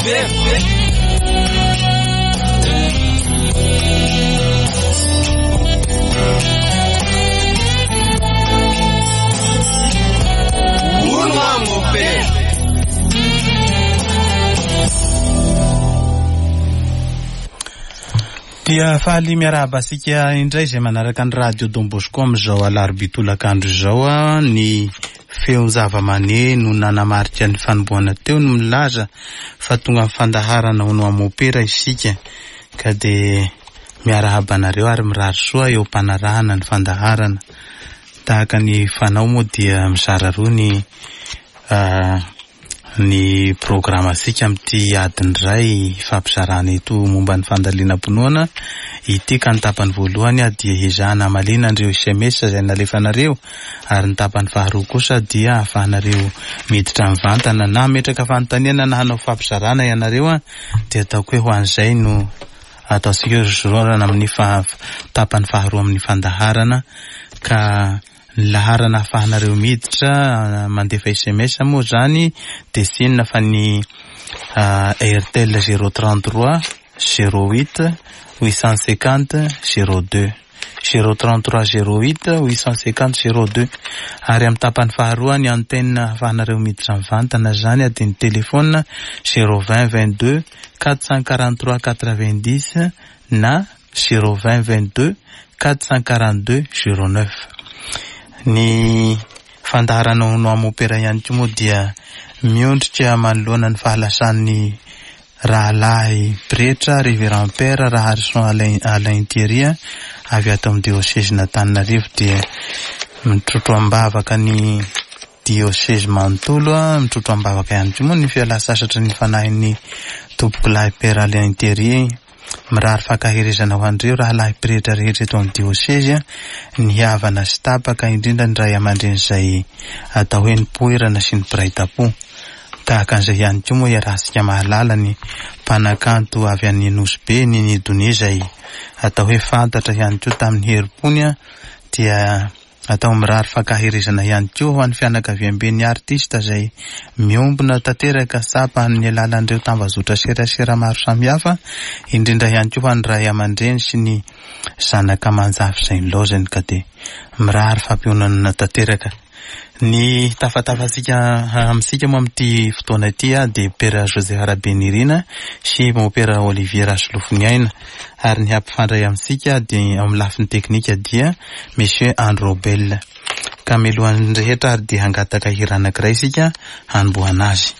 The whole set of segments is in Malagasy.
Hono hoa mopera. Dia faly miarahaba antsika indray izay manaraka ny radio Don Bosco amin'izao alarobia tolakandro izao. Ny feon-javamaneno nanamarika ny fanombohana teo no milaza fa tonga amin'ny fandaharana hono hoa mopera isika ka dia miarahaba anareo ary mirary soa eo am-panarahana ny fandaharana. Tahaka ny fanao moa dia mizara roa ny ny programantsika amin'ity adiny iray ifampizarana eto momba ny fandalinam-pinoana ity ka ny tapany voalohany dia ezahana hamaliana an'ireo sms izay nalefanareo ary ny tapany faharoa kosa dia ahafahanareo miditra mivantana na hametraka fanontaniana na hanao fampizarana ianareo dia ataoko hoe ho an'izay no ataontsika hoe zorana amin'ny tapany faharoa amin'ny fandaharana ka ny laharana ahafahanareo miditra mandefa sms moa izany dia tsy inona fa ny Airtel 033 08 850 02 033 08 850 02 ary amin'ny tapany faharoa ny antenne ahafahanareo miditra mivantana izany dia ny téléphone 020 22 443 90 na 020 22 442 09. Ny fandaharana Hono Hoa Mopera ihany koa moa dia miondrika manoloana ny fahalasan'ny rahalahy pretra Révérend Père Raharison Alain, Alain Thierry avy ato amin'ny diosezin'Antananarivo dia mitrotro am-bavaka ny diosezy manontolo, mitrotro am-bavaka ihany koa moa ny fialan-tsasatry ny fanahin'ny tompokolahy Père Alain Thierry. Mirary fankaherezana ho an'ireo rahalahy pretra rehetra eto amin'ny diosezy, ny havana sy tapaka, indrindra ny ray aman-dreny izay atao hoe nipoirana sy ny mpiray tampo. Tahaka an'izay ihany koa moa iarahantsika mahalala ny mpanakanto avy any Nosy Be, Nini Donia izay atao hoe fantatra ihany koa tamin'ny herim-pony dia Atao mirary fankaherezana ihany koa ho an'ny fianakaviamben'ny artista izay miombona tanteraka tsapa amin'ny alalan'ireo tambazotra serasera maro samihafa, indrindra ihany koa ho an'ny ray aman-dreny sy ny zanaka aman-jafy izay nilaozany ka dia mirary fampiononana tanteraka. Ny tafatafantsika amintsika moa amin'ity fotoana ity dia Père Joseph Rabenirina sy Mompera Olivier Rasolofoniaina ary ny hampifandray amintsika dia amin'ny lafiny teknika dia Monsieur Andry Robel. Ka mialohan'ny rehetra ary dia hangataka hira anankiray isika hanombohana azy.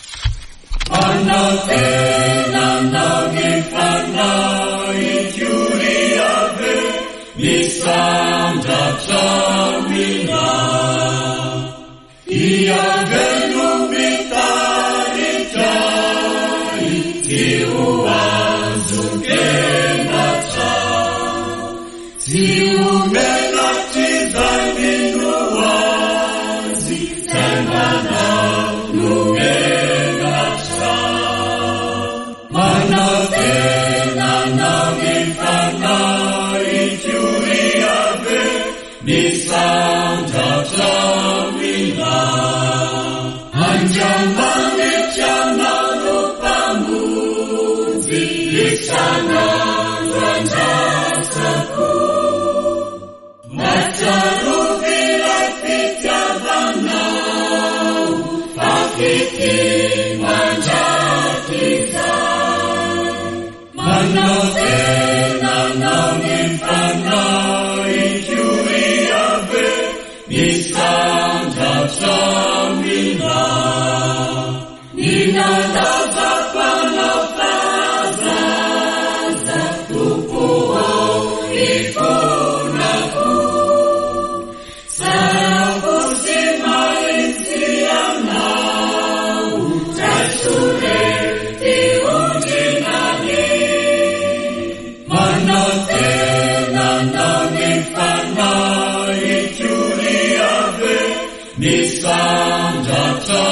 Misandratra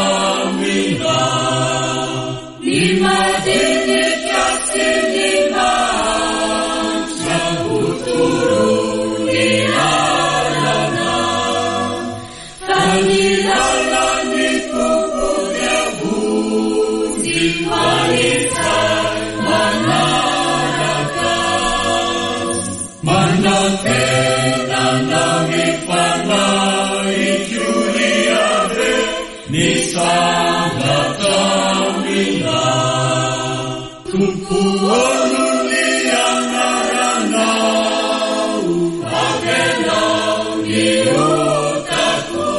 Misandratra aminao. Tompo ô noho ny anaranao, avelao ny otako.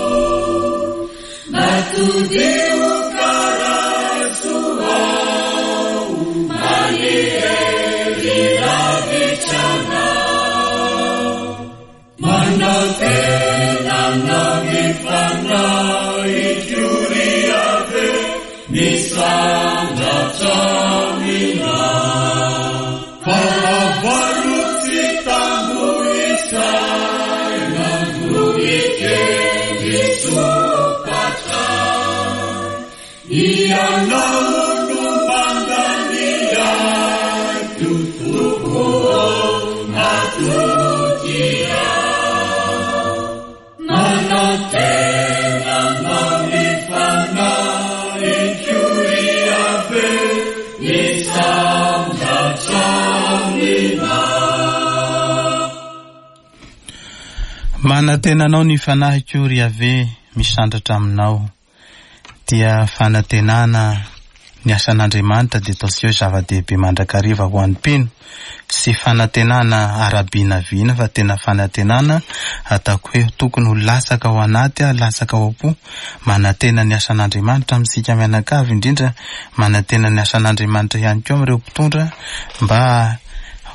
Mba todiho karaso aho, manery lavitra anao. Manantena anao ny fanahiko ry Yaveh, misandratra aminao. Fahavalo tsy tambo isaina no mikendry sompatra. Ianao no mandany aiko, Tompo ô, matoky aho. Manantena anao ny fanahiko ry Yaveh, misandratra aminao. Manantena anao ny fanahiko ry Yaveh, misandratra aminao. Dia fanantenana ny asan'Andriamanitra dia ataontsika hoe zava-dehibe mandrakariva ho an'ny mpino. Tsy fanantenana ara-binavina fa tena fanantenana ataoko hoe tokony ho latsaka ao anaty, latsaka ao am-po. Manantena ny asan'Andriamanitra amintsika mianakavy indrindra manantena ny asan'Andriamanitra ihany koa amin'ireo mpitondra mba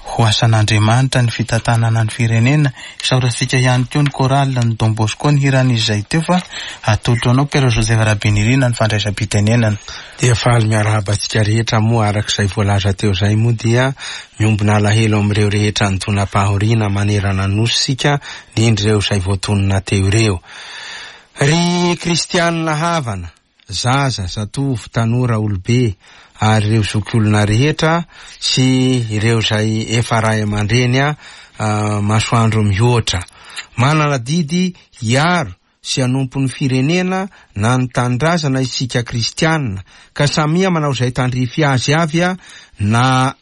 ho asan'Andriamanitra ny fitantanana ny firenena. Isaorantsika ihany koa ny chorale ny Don Bosco ny hiran'izy izay teo fa atolotro anao Père Joseph Rabenirina ny fandraisam-pitenenana. Dia faly miarahaba antsika rehetra moa araka izay voalaza teo izay moa dia miombona alahelo amin'ireo rehetra nidonam-pahoriana manerana ny Nosy isika indrindra ireo izay voatonona teo ireo. Ry kristianina havana, zaza, zatovo, tanora, olobe ary ireo zokiolona rehetra sy ireo izay efa ray aman-dreny masoandro mihoatra. Manana adidy hiaro sy hanompo ny firenena na ny tanindrazana isika kristianina ka samia manao izay tandrify azy avy na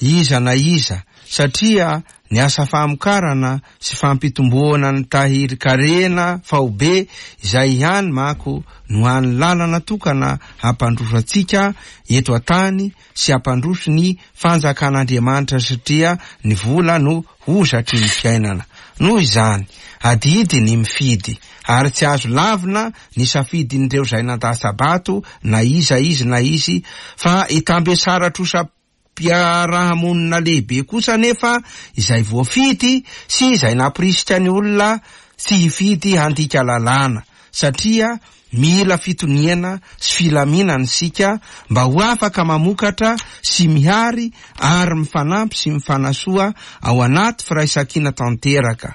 iza na iza satria ny asa famokarana sy fampitomboana ny tahirin-karena faobe izay ihany manko no hany lalana tokana hampandroso antsika eto an-tany sy hampandroso ny fanjakan'Andriamanitra satria ny vola no hozatry ny fiainana. Noho izany, adidy ny mifidy ary tsy azo lavina ny safidin'ireo izay nandatsa-bato na iza izy na izy fa itambesara-trosa Mpiarahamonina lehibe kosa anefa izay voafidy sy izay nampirisika ny olona tsy hifidy handika lalàna satria mila fitoniana sy filaminana isika mba ho afaka mamokatra sy mihary ary mifanampy sy mifanasoa ao anaty firaisankina tanteraka.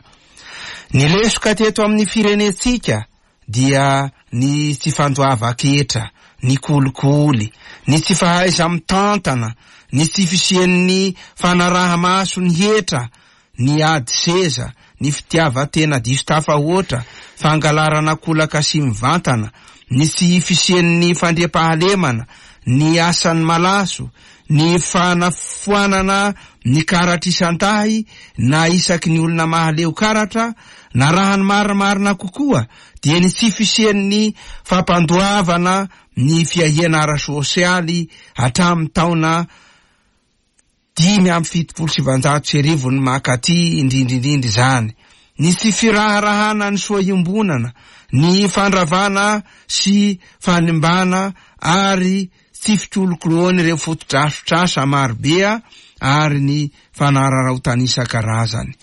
Ny lesoka teto amin'ny firenentsika dia ny tsy fandoavan-ketra, ny kolikoly, ny tsy fahaiza-mitantana, ny tsy fisian'ny fanaraha-maso ny hetra, ny ady seza, ny fitiavan-tena diso tafahoatra, fangalarana kolaka sy mivantana, ny tsy fisian'ny fandriampahalemana, ny asan'ny malaso, ny fanafoanana ny karatra isan-dahy na isaky ny olona mahaleo karatra, na raha ny marimarina kokoa dia ny tsy fisian'ny fampandoavana ny fiahiana ara-sosialy hatramin'ny taona 1975 ny mankaty indrindra indrindra izany, ny tsy firaharahana ny soa iombonana, ny fandravana sy fanimbana ary tsy fikolokoloan'ireo fotodrafitrasa marobe ary ny fanararaotana isan-karazany.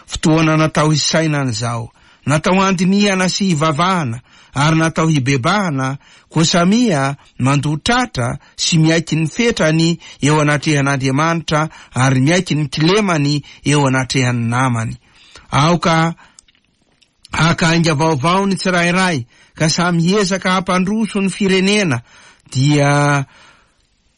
Fotoana natao hisainana izao, natao handinihana sy hivavahana ary natao hibebahana, koa samia mandoa tratra sy miaiky ny fetrany eo anatrehan'Andriamanitra ary miaiky ny kilemany eo anatrehan'ny namany. Aoka haka ainga vaovao ny tsirairay ka samy hiezaka hampandroso ny firenena dia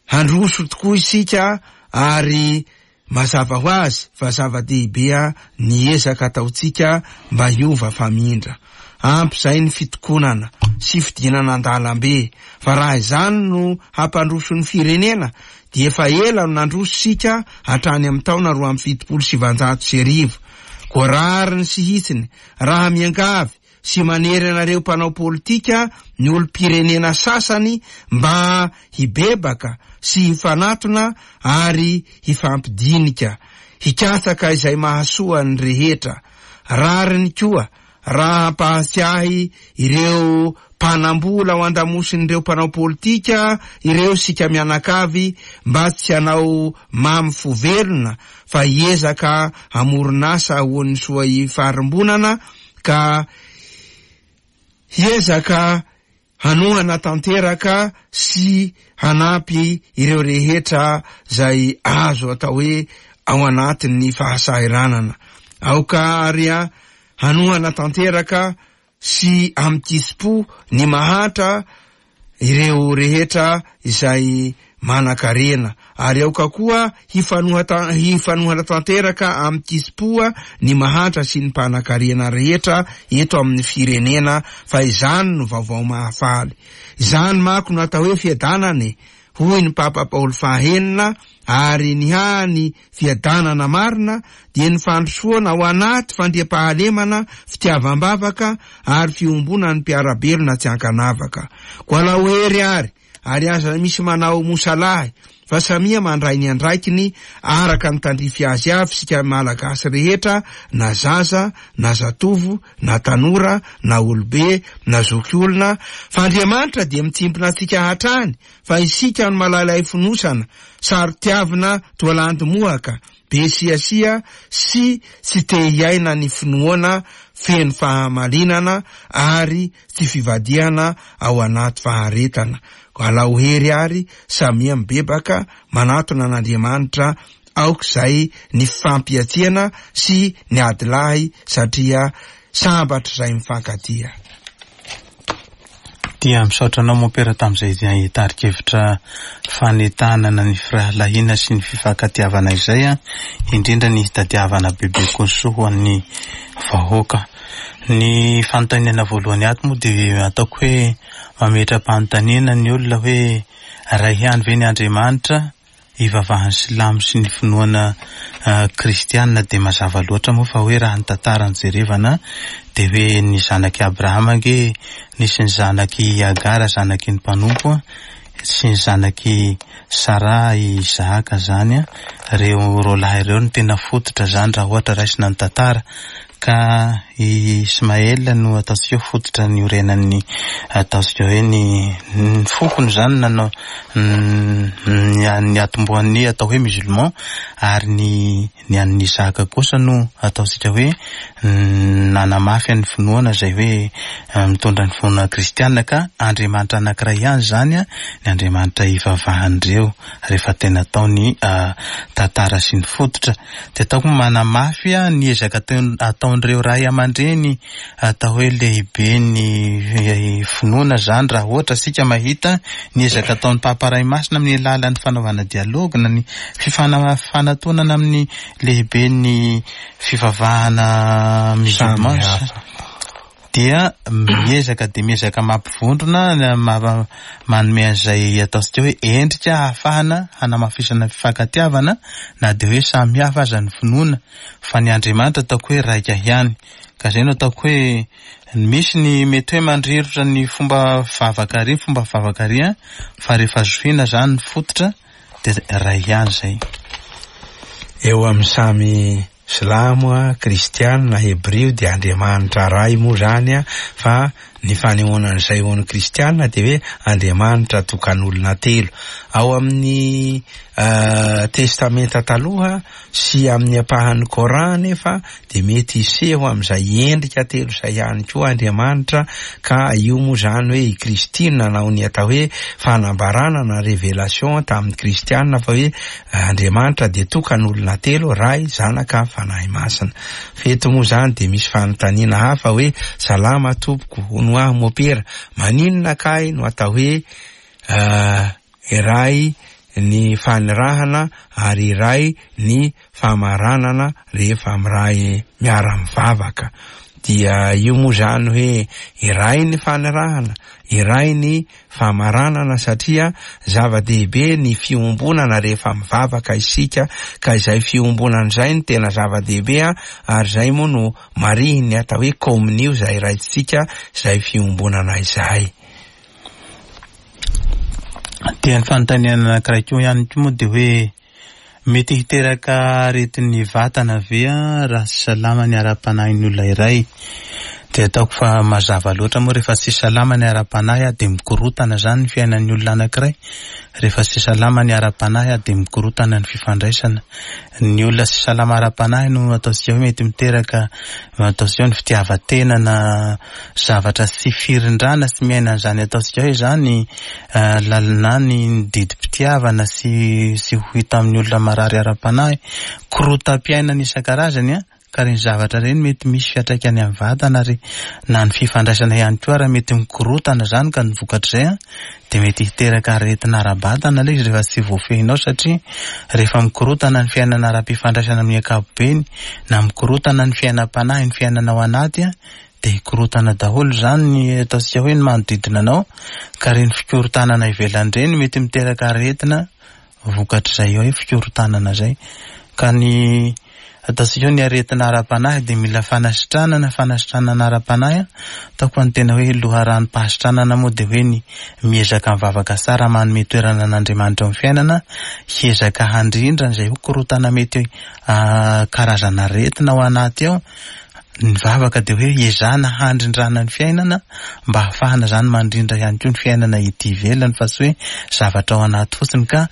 Handroso tokoa isika ary mazava ho azy fa zava-dehibe ny ezaka ataontsika mba hiova famindra. Ampy izay ny fitokonana sy fidinana an-dalambe fa raha izany no hampandroso ny firenena dia efa ela no nandroso isika hatrany amin'ny taona 1972. Koa rariny sy hitsiny raha miangavy. sy manery anareo mpanao politika ny olom-pirenena sasany mba hibebaka sy hifanatona ary hifampidinika, hikatsaka izay mahasoa ny rehetra. Rariny koa raha hampahatsiahy ireo mpanambola ao andamosin'ireo mpanao politika ireo isika mianakavy mba tsy hanao mamy fo velona fa hiezaka hamoron'asa ho an'ny soa ifarimbonana ka hiezaka hanohana tanteraka sy hanampy ireo rehetra izay azo atao hoe ao anatin'ny fahasahiranana. Aoka ary hanohana tanteraka sy amin-kitsim-po ny mahantra ireo rehetra izay manan-karena, ary aoka koa hifanohana tanteraka amin-kitsim-po ny mahantra sy ny mpanan-karena rehetra eto amin'ny firenena, fa izany no vaovao mahafaly. Izany manko no atao hoe fiadanana e! hoy ny Papa Paoly fahaenina, ary ny hany fiadanana marina dia ny fandrosoana ao anaty fandriampahalemana, fitiavam-bavaka ary fiombonan'ny mpiara-belona tsy ankanavaka. Koa alao hery àry, ary aza misy manao mosalahy fa samia mandray ny andraikiny araka ny tandrify azy avy isika Malagasy rehetra na zaza na zatovo na tanora na olobe na zoky olona fa Andriamanitra dia mitsimpona antsika hatrany fa isika no malailay fonosana saro-tiavina toa landy mohaka be siasia sy tsy te hiaina ny finoana feno fahamalinana ary tsy fivadihana ao anaty faharetana. Alao hery ary samia mibebaka manatona an'Andriamanitra aoka izay ny fifampihatsiana sy ny adilahy satria sambatra izay mifankatia. Dia misaotra anao Mompera tamin'izay tari-kevitra fanentanana ny firahalahiana sy ny fifankatiavana izay, indrindra ny hitadiavana bebe kokoa ny soa ho an'ny vahoaka. Ny fanontaniana voalohany ato moa dia ataoko hoe mametra-panontaniana ny olona hoe iray ihany ve ny Andriamanitra? Ivavahan'ny silamo sy ny finoana kristiana dia mazava loatra moa fa hoe raha ny tantara no jerevana dia hoe ny zanak'i Abrahama ange nisy ny zanak'i Hagara zanaky ny mpanompo sy ny zanak'i Saraha i Isahaka zany ireo roalahy ireo no tena fototra zany raha ohatra raisina ny tantara Ka i Ismaël no ataontsika hoe fototra niorenan'ny ataontsika hoe ny ny fokony izany nanao ny niatombohan'ny atao hoe musulman ary ny ny an'ny Isaka kosa no ataontsika hoe nanamafy an'ny finoana izay hoe mitondra ny finoana kristiana ka Andriamanitra anankiray ihany izany ny Andriamanitra ivavahan'ireo rehefa tena atao ny tantara sy ny fototra. Dia ataoko manamafy ny ezaka ataon'ireo ray aman-dreny atao hoe lehiben'ny finoana izany raha ohatra isika mahita ny ezaka ataon'ny Papa Ray Masina amin'ny alalan'ny fanaovana dialogue na ny fifanatonana amin'ny lehiben'ny fivavahana musulman dia miezaka dia miezaka mampivondrona, manome an'izay ataontsika hoe endrika ahafahana hanamafisana ny fifankatiavana na dia hoe samy hafa aza ny finoana fa ny Andriamanitra ataoko hoe raika ihany. Ka izay no ataoko hoe misy ny mety hoe mandrirotra ny fomba vavaka ary, fomba vavaka ary an, fa rehefa zohiana izany ny fototra dia iray ihany izay. Eo amin'ny samy Silamo a, kristiana, hebrio dia Andriamanitra Ray moa zany a, fa ny fanehoana an'izay ho an'ny kristiana dia hoe Andriamanitra tokan'olona telo. Ao amin'ny testamenta taloha sy amin'ny ampahan'ny Coran anefa dia mety hiseho amin'izay endrika telo izay ihany koa Andriamanitra ka io moa zany hoe i Kristy no nanao ny atao hoe fanambarana na révélation tamin'ny kristiana fa hoe Andriamanitra dia tokana olona telo, Ray, Zanaka, Fanahy Masina. Fa eto moa izany dia misy fanontaniana hafa hoe, Salama tompoko, hono aho mopera, maninona kay no atao hoe iray ny fanirahana ary iray ny famaranana rehefa miray miara-mivavaka? Dia io moa izany hoe iray ny fanirahana, iray ny famaranana satria zava-dehibe ny fiombonana rehefa mivavaka isika ka izay fiombonana izay no tena zava-dehibe ary izay moa no marihin'ny atao hoe kominio izay raisitsika izay fiombonana izay. Dia ny fanontaniana anankiray koa ihany koa moa dia hoe mety hiteraka aretin'ny vatana ve raha tsy salama ny ara-panahin'ny olona iray? Dia ataoko fa mazava loatra moa rehefa tsy salama ny ara-panahy dia mikorotana izany ny fiainan'ny olona anankiray. Rehefa tsy salama ny ara-panahy dia mikorotana ny fifandraisana. Ny olona tsy salama ara-panahy no ataontsika hoe mety miteraka ataontsika hoe ny fitiavan-tena na zavatra tsy firindrana sy miaina an'izany ataontsika hoe izany lalina ny didim-pitiavana sy sy ho hita amin'ny olona marary ara-panahy, korotam-piainana isan-karazany an, ka ireny zavatra ireny mety misy fiantraikany amin'ny vatana ary na ny fifandraisana ihany koa ary mety mikorotana izany ka ny vokatr'izay an dia mety hiteraka aretina ara-batana ilay izy rehefa tsy voafehinao satria rehefa mikorotana ny fiainana ara-pifandraisana amin'ny ankapobeny na mikorotana ny fiainam-panahy ny fiainana ao anaty an dia hikorotana daholo izany ny ataontsika hoe ny manodidina anao ka ireny fikorontanana ivelany ireny mety miteraka aretina vokatr'izay hoe fikorontanana izay ka ny ataontsika hoe ny aretina ara-panahy dia mila fanasitranana, fanasitranana ara-panahy ataoko fa ny tena hoe loharanom-pahasitranana moa dia hoe ny miezaka mivavaka tsara manome toerana an'Andriamanitra eo amin'ny fiainana hiezaka handrindra izay ho korontana mety karazana aretina ao anaty ao Ny vavaka dia hoe ezahana handrindrana ny fiainana mba hahafahana izany mandrindra ihany koa ny fiainana ety ivelany fa tsy hoe zavatra ao anaty fotsiny ka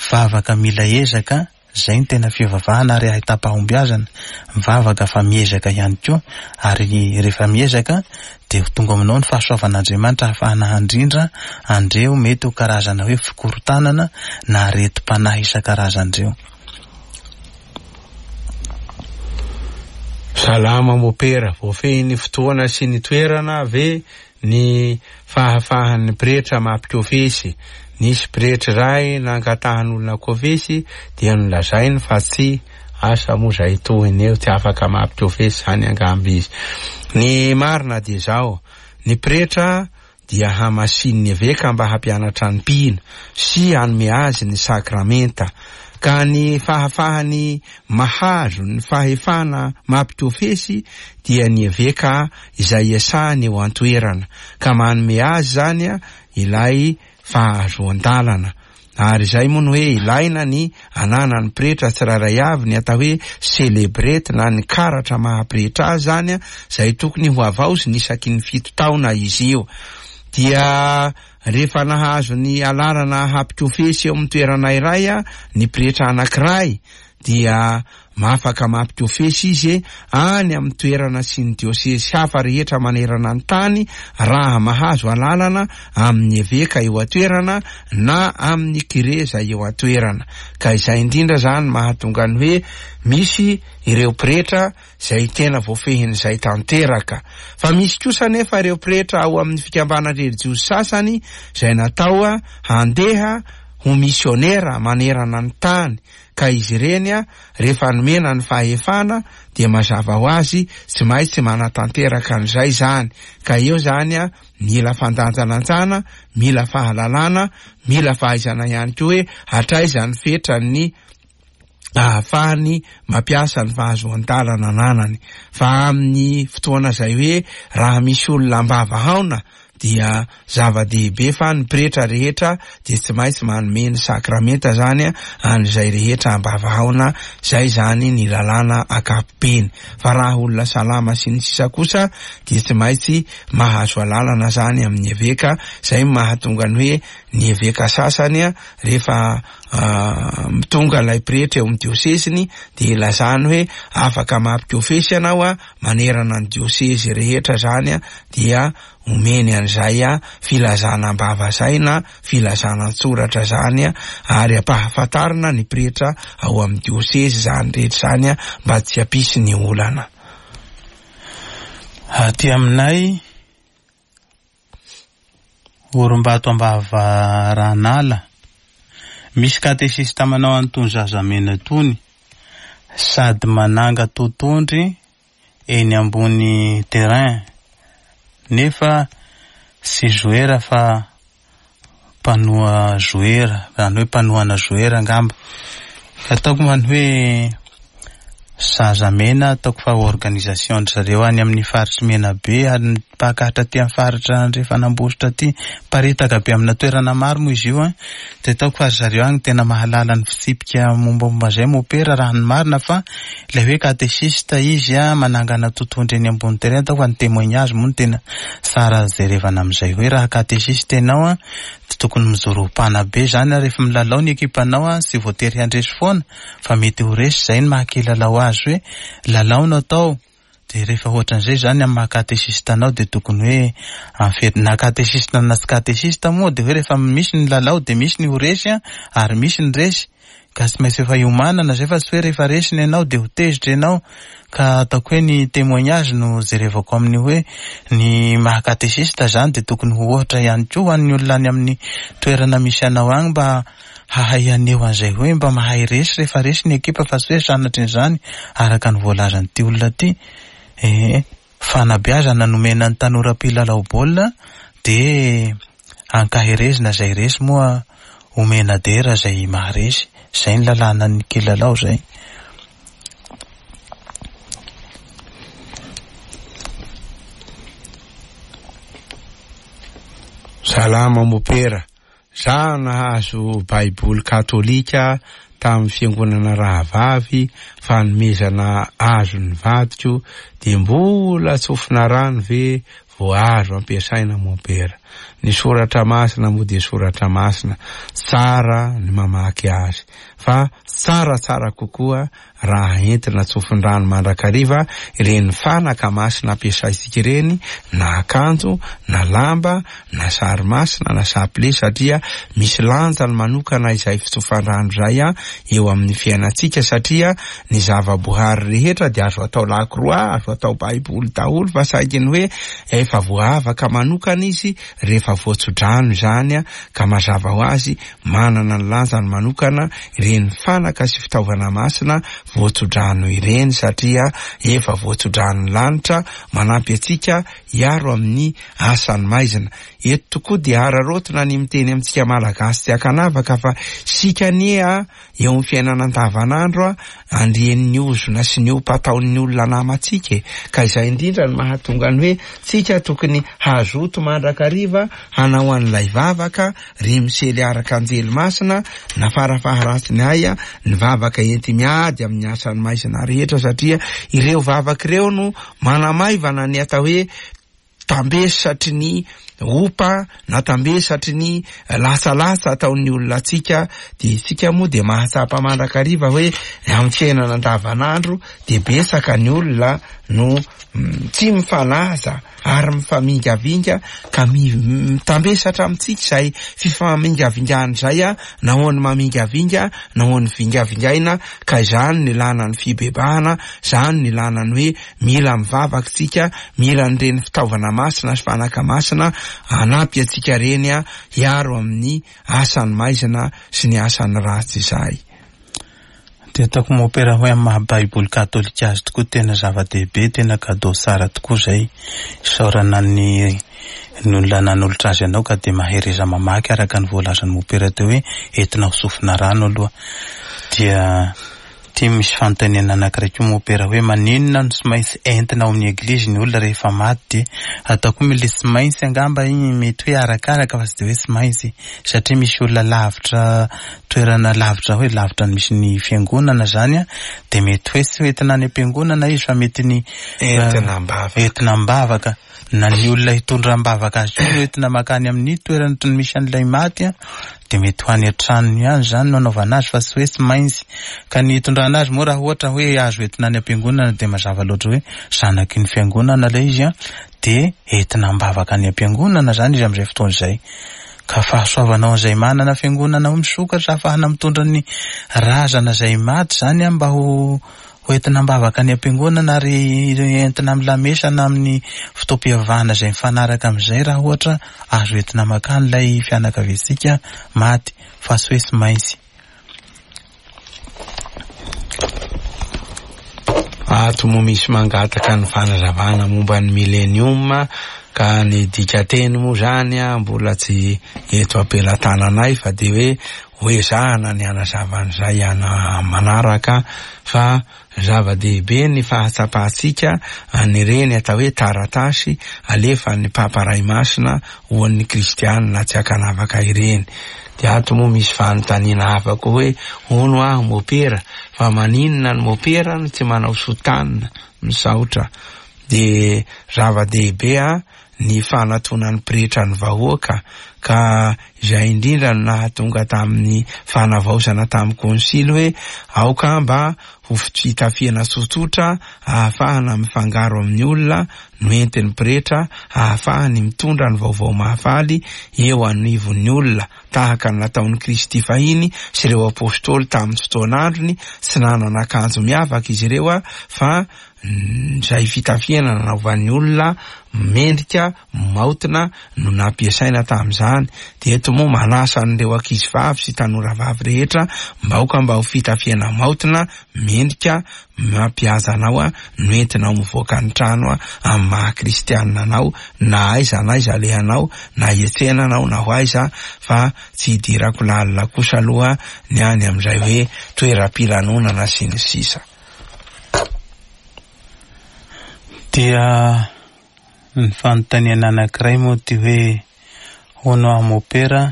vavaka mila ezaka, izay no tena fivavahana ary ahitam-pahombiazana, mivavaka fa miezaka ihany koa ary rehefa miezaka dia ho tonga aminao ny fahasoavan'Andriamanitra hahafahana handrindra an'ireo mety ho karazana hoe fikorontanana na aretim-panahy isan-karazany ireo. Salama mopera, voafehin'ny fotoana sy ny toerana ve ny fahafahan'ny pretra mampikofesy? Nisy pretra iray nangatahan'olona kofesy dia nolazainy fa tsy, asa moa izay tohiny eo, tsy afaka mampikofesy izany angamba izy. Ny marina dia izao, ny pretra dia hamasinin'ny eveka mba hampianatra ny mpino sy hanome azy ny sakramenta, ka ny fahafahany mahazo ny fahefana mampikofesy dia ny eveka izay iasany eo an-toerana, ka manome azy izany ilay fahazoan-dalana. Ary izay moa no hoe ilaina ny ananan'ny pretra tsirairay avy ny atao hoe celebrate na ny karatra maha pretra azy izany izay tokony ho havaoziny isaky ny fito taona izy io. Dia rehefa nahazo ny alalana hampikofesy eo amin'ny toerana iray ny pretra anankiray dia Afaka mampikofesy izy any amin'ny toerana sy ny diosezy hafa rehetra manerana ny tany raha mahazo alalana amin'ny eveka eo an-toerana na amin'ny kire izay eo an-toerana. Ka izay indrindra izany mahatonga ny hoe misy ireo pretra izay tena voafehin'izay tanteraka. Fa misy kosa anefa ireo pretra ao amin'ny fikambanan-drelijiozy sasany izay natao handeha ho misionera manerana ny tany ka izy ireny rehefa nomena ny fahefana dia mazava ho azy tsy maintsy manatanteraka an'izay izany, ka eo izany mila fandanjalanjana, mila fahalalana, mila fahaizana ihany koa hoe hatraiza ny fetran'ny ahafahany mampiasa ny fahazoan-dalana ananany, fa amin'ny fotoana izay hoe raha misy olona am-bava haona dia zava-dehibe fa ny pretra rehetra dia tsy maintsy manome ny sakramenta zany an'izay rehetra ambavahaona, zay zany ny lalàna ankapobeny, fa raha olona salama sy ny sisa kosa dia tsy maintsy mahazo alalana zany amin'ny eveka, zay mahatonga ny hoe ny eveka sasany rehefa tonga ilay pretra eo amin'ny diosesiny dia ilazany hoe afaka mampikofesy ianao manerana ny diosezy rehetra zany dia omeny an'izay filazana am-bava izay na filazana an-tsoratra izany ary ampahafantarina ny pretra ao amin'ny diosezy izany rehetra izany mba tsy hampisy ny olana. Aty aminay, Orimbato Ambavaranala, misy katesista manao an'itony zazamena itony, sady mananga totondry. eny ambony terrain nefa tsy joueur fa mpanoa joueur, izany hoe mpanohana joueur angamba. Ka ataoko man'ny hoe Zazamena ataoko fa organisation-dry zareo any amin'ny faritry Menabe ary mipaka hatraty amin'ny faritra Andrefan'Ambositra aty. Miparitaka be amina toerana maro moa izy io an. Dia ataoko fa ry zareo any tena mahalala ny fitsipika mombamomba izay mopera raha ny marina fa ilay hoe katesista izy an, manangana totohondry eny ambony terrain ataoko fa ny témoignage moa no tena tsara jerevana amin'izay hoe raha katesista ianao an, dia tokony mijoro ho mpanabe izany an, rehefa milalao ny ekipanao an, tsy voatery handresy foana fa mety ho resy, izay no maha kilalao azy hoe lalao no atao, dia rehefa ohatran'izay izany amin'ny maha katesista anao dia tokony hoe amin'ny na katesista na tsy katesista moa dia hoe rehefa misy ny lalao dia misy ny ho resy an, ary misy ny resy, ka tsy maintsy efa iomanana izay fa tsy hoe rehefa resy ianao dia ho tezitra ianao, ka ataoko hoe ny témoignage no jerevako amin'ny hoe ny maha katesista izany dia tokony ho ohatra ihany koa ho an'ny olona any amin'ny toerana misy anao any mba hahay haneho an'izay hoe mba mahay resy rehefa resy ny ekipa fa tsy hoe sanatrin'izany araka ny voalazan'ity olona ity eh, fanabeazana nomena ny tanora mpilalao baolina dia ankaherezina izay resy moa omena dera izay maharesy, izay ny lalànan'ny kilalao izay. Salama mopera. Za nahazo baiboly katolika tamin'ny fiangonana rahavavy fanomezana azon'ny vadiko de mbola tsofina rano ve vao azo ampiasaina mompera? Ny soratra masina moa dia soratra masina, tsara ny mamaky azy fa tsaratsara kokoa raha entina tsofin-drano mandrakariva ireny fanaka masina ampiasaintsika ireny, na akanjo, na lamba, na sary masina, na sapile, satria misy lanjany manokana izay fitsofan-drano izay eo amin'ny fiainantsika, satria ny zava-boahary rehetra dia azo atao lakroa, azo atao baiboly daholo, fa saingy ny hoe efa voaavaka manokana izy rehefa voatso-drano izany, ka mazava ho azy Manana ny lanjany manokana ireny fanaka sy fitaovana masina voatsodrano ireny satria efa voatsodranon'ny lanitra manampy antsika hiaro amin'ny asan'ny maizina. Eto tokoa dia araraotina ny miteny amintsika Malagasy tsy ankanavaka fa isika anie a eo amin'ny fiainana andavanandro a andrian'ny ozona sy ny ompa ataon'ny olona namantsika e! Ka izay indrindra no mahatonga ny hoe tsika tokony hazoto mandrakariva hanao an'ilay vavaka Ry Misely Arkanjely Masina, na farafaharatsiny aia, ny vavaka enti-miady amin'ny asan'ny maizina rehetra satria ireo vavaka ireo no manamaivana ny atao hoe tambesatry ny opa na tambesatry ny latsalatsa ataon'ny olona antsika, dia isika moa dia mahatsapa mandrakariva hoe amin'ny fiainana andavanandro dia betsaka ny olona no tsy mifanaja ary mifamingavinga ka mitambesatra amintsika izay fifamingavingana izay na ho an'ny mamingavinga na ho an'ny vingavingaina ka izany no ilana ny fibebahana, izany no ilana ny hoe mila mivavaka isika, mila an'ireny fitaovana masina sy fanaka masina hanampy antsika ireny hiaro amin'ny asan'ny maizina sy ny asan'ny ratsy izay. Dia ataoko mopera hoe amin'ny maha baiboly katolika azy tokoa tena zava-dehibe, tena cadeau tsara tokoa izay. Isaorana ny ny olona nanolotra azy anao ka dia mahereza mamaky araka ny voalazan'i mopera teo hoe entina ho sofina rano aloha. Dia ity misy fanontaniana anankiray koa mopera hoe maninona no tsy maintsy entina ao amin'ny eglizy ny olona rehefa maty dia ataoko hoe le tsy maintsy angamba iny mety hoe arakaraka fa tsy dia hoe tsy maintsy satria misy olona lavitra toerana lavitra hoe lavitra ny misy ny fiangonana zany an, dia mety hoe tsy hoentina any am-piangonana izy fa mety ny Entina am-bavaka. Entina am-bavaka. Na ny olona hitondra am-bavaka azy koa no entina mankany amin'ny toerana misy an'ilay maty an, dia mety ho any an-tranony ihany izany no anaovana azy fa tsy hoe tsy maintsy. Ka ny hitondrana azy moa raha ohatra hoe azo entina any am-piangonana dia mazava loatra hoe zanaky ny fiangonana ilay izy an, dia entina am-bavaka any am-piangonana izany izy amin'izay fotoana izay. Ka fahasoavana ho an'izay manana fiangonana ho misokatra ahafahana mitondra ny razana izay maty izany mba ho ho entina am-bavaka any am-piangonana ary entina amin'ny lamesa na amin'ny fotoam-pivavahana izay mifanaraka amin'izay raha ohatra azo entina makany ilay fianakaviantsika maty fa tsy hoe tsy maintsy. Ato moa misy mangataka ny fanazavana momba ny millennium ka ny dikateny moa zany mbola tsy eto am-pelatananay fa de hoe hoezahana ny hanazava an'izay ana manaraka fa zava-dehibe ny fahatsapantsika an'ireny atao hoe taratasy alefan'ny Papa Ray Masina ho an'ny kristianina tsy ankanavaka ireny. De ato moa misy fanontaniana hafa koa hoe hono aho mopera fa maninona ny mopera no tsy manao soutane? Misaotra. De zava-dehibe ny fanatonan'ny pretra ny vahoaka ka izay indrindra no nahatonga tamin'ny fanavaozana tamin'ny konsily hoe aoka mba ho fitafiana tsotsotra ahafahana mifangaro amin'ny olona no entin'ny pretra ahafahany mitondra ny vaovao mahafaly eo anivon'ny olona tahaka ny nataon'i Kristy fahiny sy ireo apôstôly tamin'ny fotoan'androny. Tsy nanana akanjo miavaka izy ireo fa izay fitafiana nanaovan'ny olona mendrika maotina no nampiasaina tamin'izany. Dia eto moa manasa an'ireo ankizy vavy sy tanora vavy rehetra mba aoka mba ho fitafiana maotina mendrika mampihaza anao no entinao mivoaka ny trano amin'ny maha kristianina anao na aiza na aiza alehanao na hietsena anao na ho aiza fa tsy hidirako lalina kosa aloha ny any amin'izay hoe toeram-pilanonana sy ny sisa. Dia ny fanontaniana anankiray moa ty hoe hono aho mopera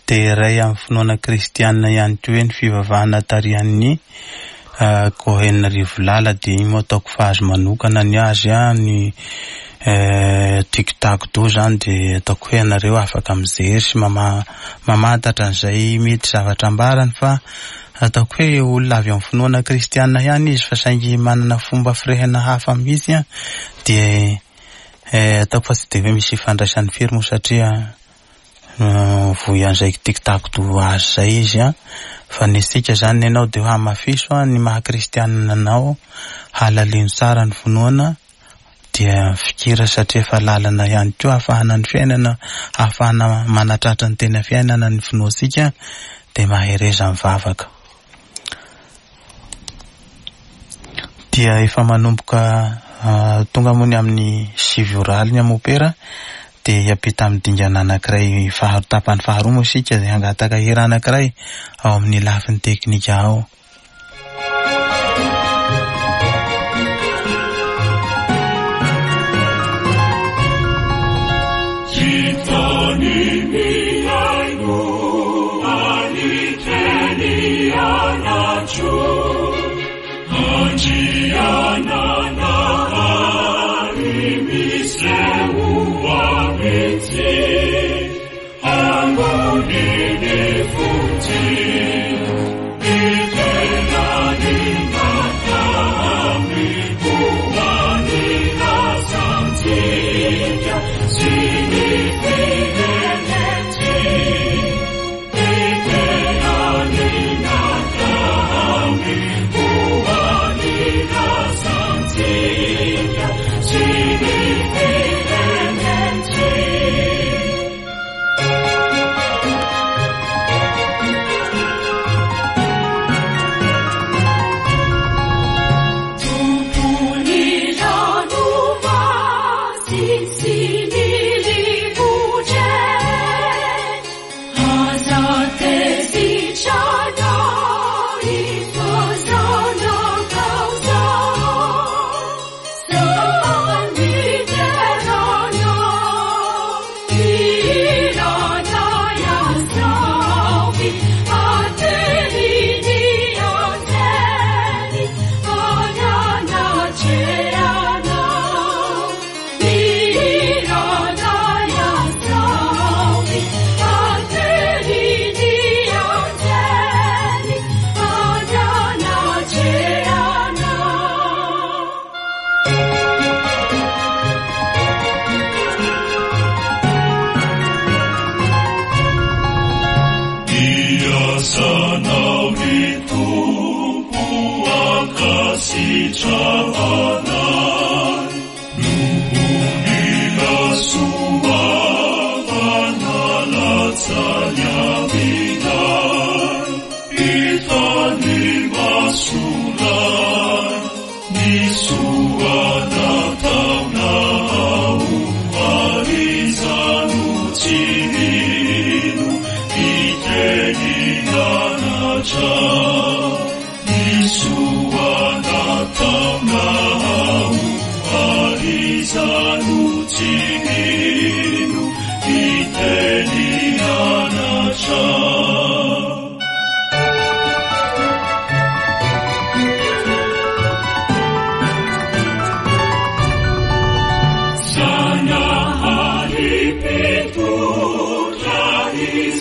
dia iray amin'ny finoana kristianina ihany koa hoe ny fivavahana tarihan'ny Cohen Rivolala dia iny moa ataoko fa azy manokana ny azy ny TikTok do zany dia ataoko hoe ianareo afaka mijery sy mamantatra an'izay mety zavatra ambarany fa ataoko hoe olona avy amin'ny finoana kristianina ihany izy fa saingy manana fomba firehana hafa mihitsy dia ataoko fa tsy dia hoe misy ifandraisany firy moa satria voy an'izay TikTok do azy zay izy fa ny isika zany ianao dia hoe hamafiso ny maha kristianina anao, halalino tsara ny finoana dia fikira satria efa lalana ihany koa ahafahana ny fiainana, ahafahana manatratra ny tena fiainana ny finoantsika dia mahereza mivavaka. Dia efa manomboka tonga moa ny amin'ny 9 ora alina mopera dia hiampita amin'ny dingana anankiray faharoa tapany faharoa moa isika dia hangataka hira anankiray ao amin'ny lafiny teknika ao.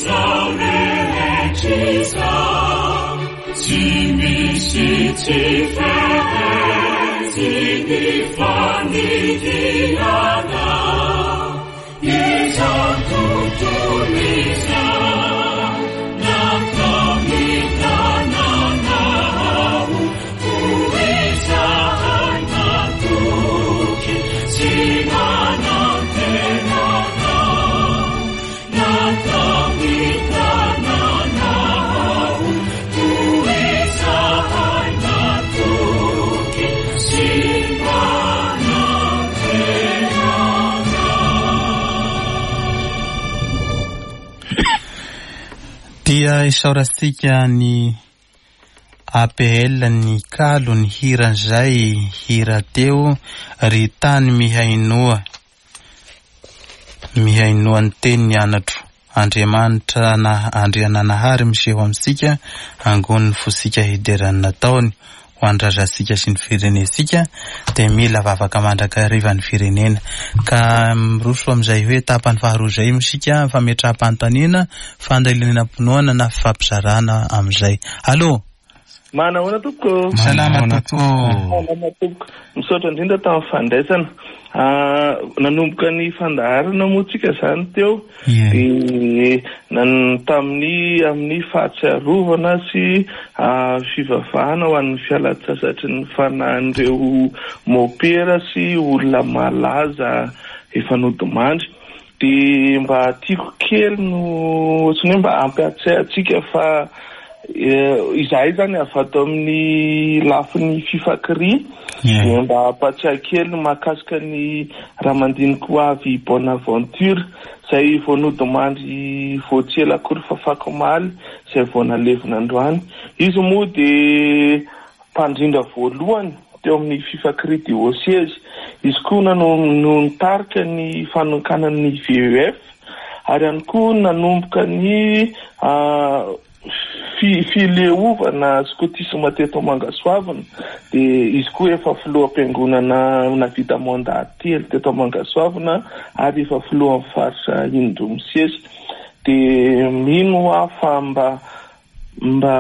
izao rehetra izao, tsy misy tsy feheziny fandidianao. Izao tontolo izao, nataon'ny tananao, koa izahay matoky sy manantena Anao. Nataon'ny tananao, koa izahay matoky sy manantena Anao. Dia isaorantsika ny APL ny kalo ny hiran'izay hira teo ry tany mihainoa mihainoa ny teny ny anatro Andriamanitra na Andriananahary miseho amintsika angonin'ny fosika hideran'ny nataony ho an'ny razantsika sy ny firenentsika dia mila vavaka mandrakariva ny firenena ka miroso amin'izay hoe tapany faharoa izay isika fametraham-panontaniana fandalinam-pinoana na fifampizarana amin'izay. Allô. Manahoana tompoko. Salama tompoko. Salama tompoko. Misaotra indrindra tamin'ny fandraisana. Nanomboka ny fandaharana moa tsika izany teo dia tamin'ny amin'ny fahatsiarovana sy fivavahana ho an'ny fialan-tsasatry ny fanahin'ireo mopera sy olona malaza efa nodimandry. Dia mba tiako kely no ohatran'ny hoe mba hampiatsiahy antsika fa izahay izany avy ato amin'ny lafiny Fifakria dia mba hampatsiahy kely ny mahakasika ny Ramandinikoavy Bonaventure izay vao nodimandry vao tsy ela akory fa afakomaly izay vao nalevina androany. Izy moa dia mpandrindra voalohany teo amin'ny Fifakria Dioseze. Izy koa no nitarika ny fanokanana ny VEF ary ihany koa nanomboka ny fileovana skotisma teto Mangasoavina. Dia izy koa efa filoham-piangonana nahavita mandat telo teto Mangasoavina ary efa filohan'ny faritra indroa misesy. Dia mino aho fa mba Mba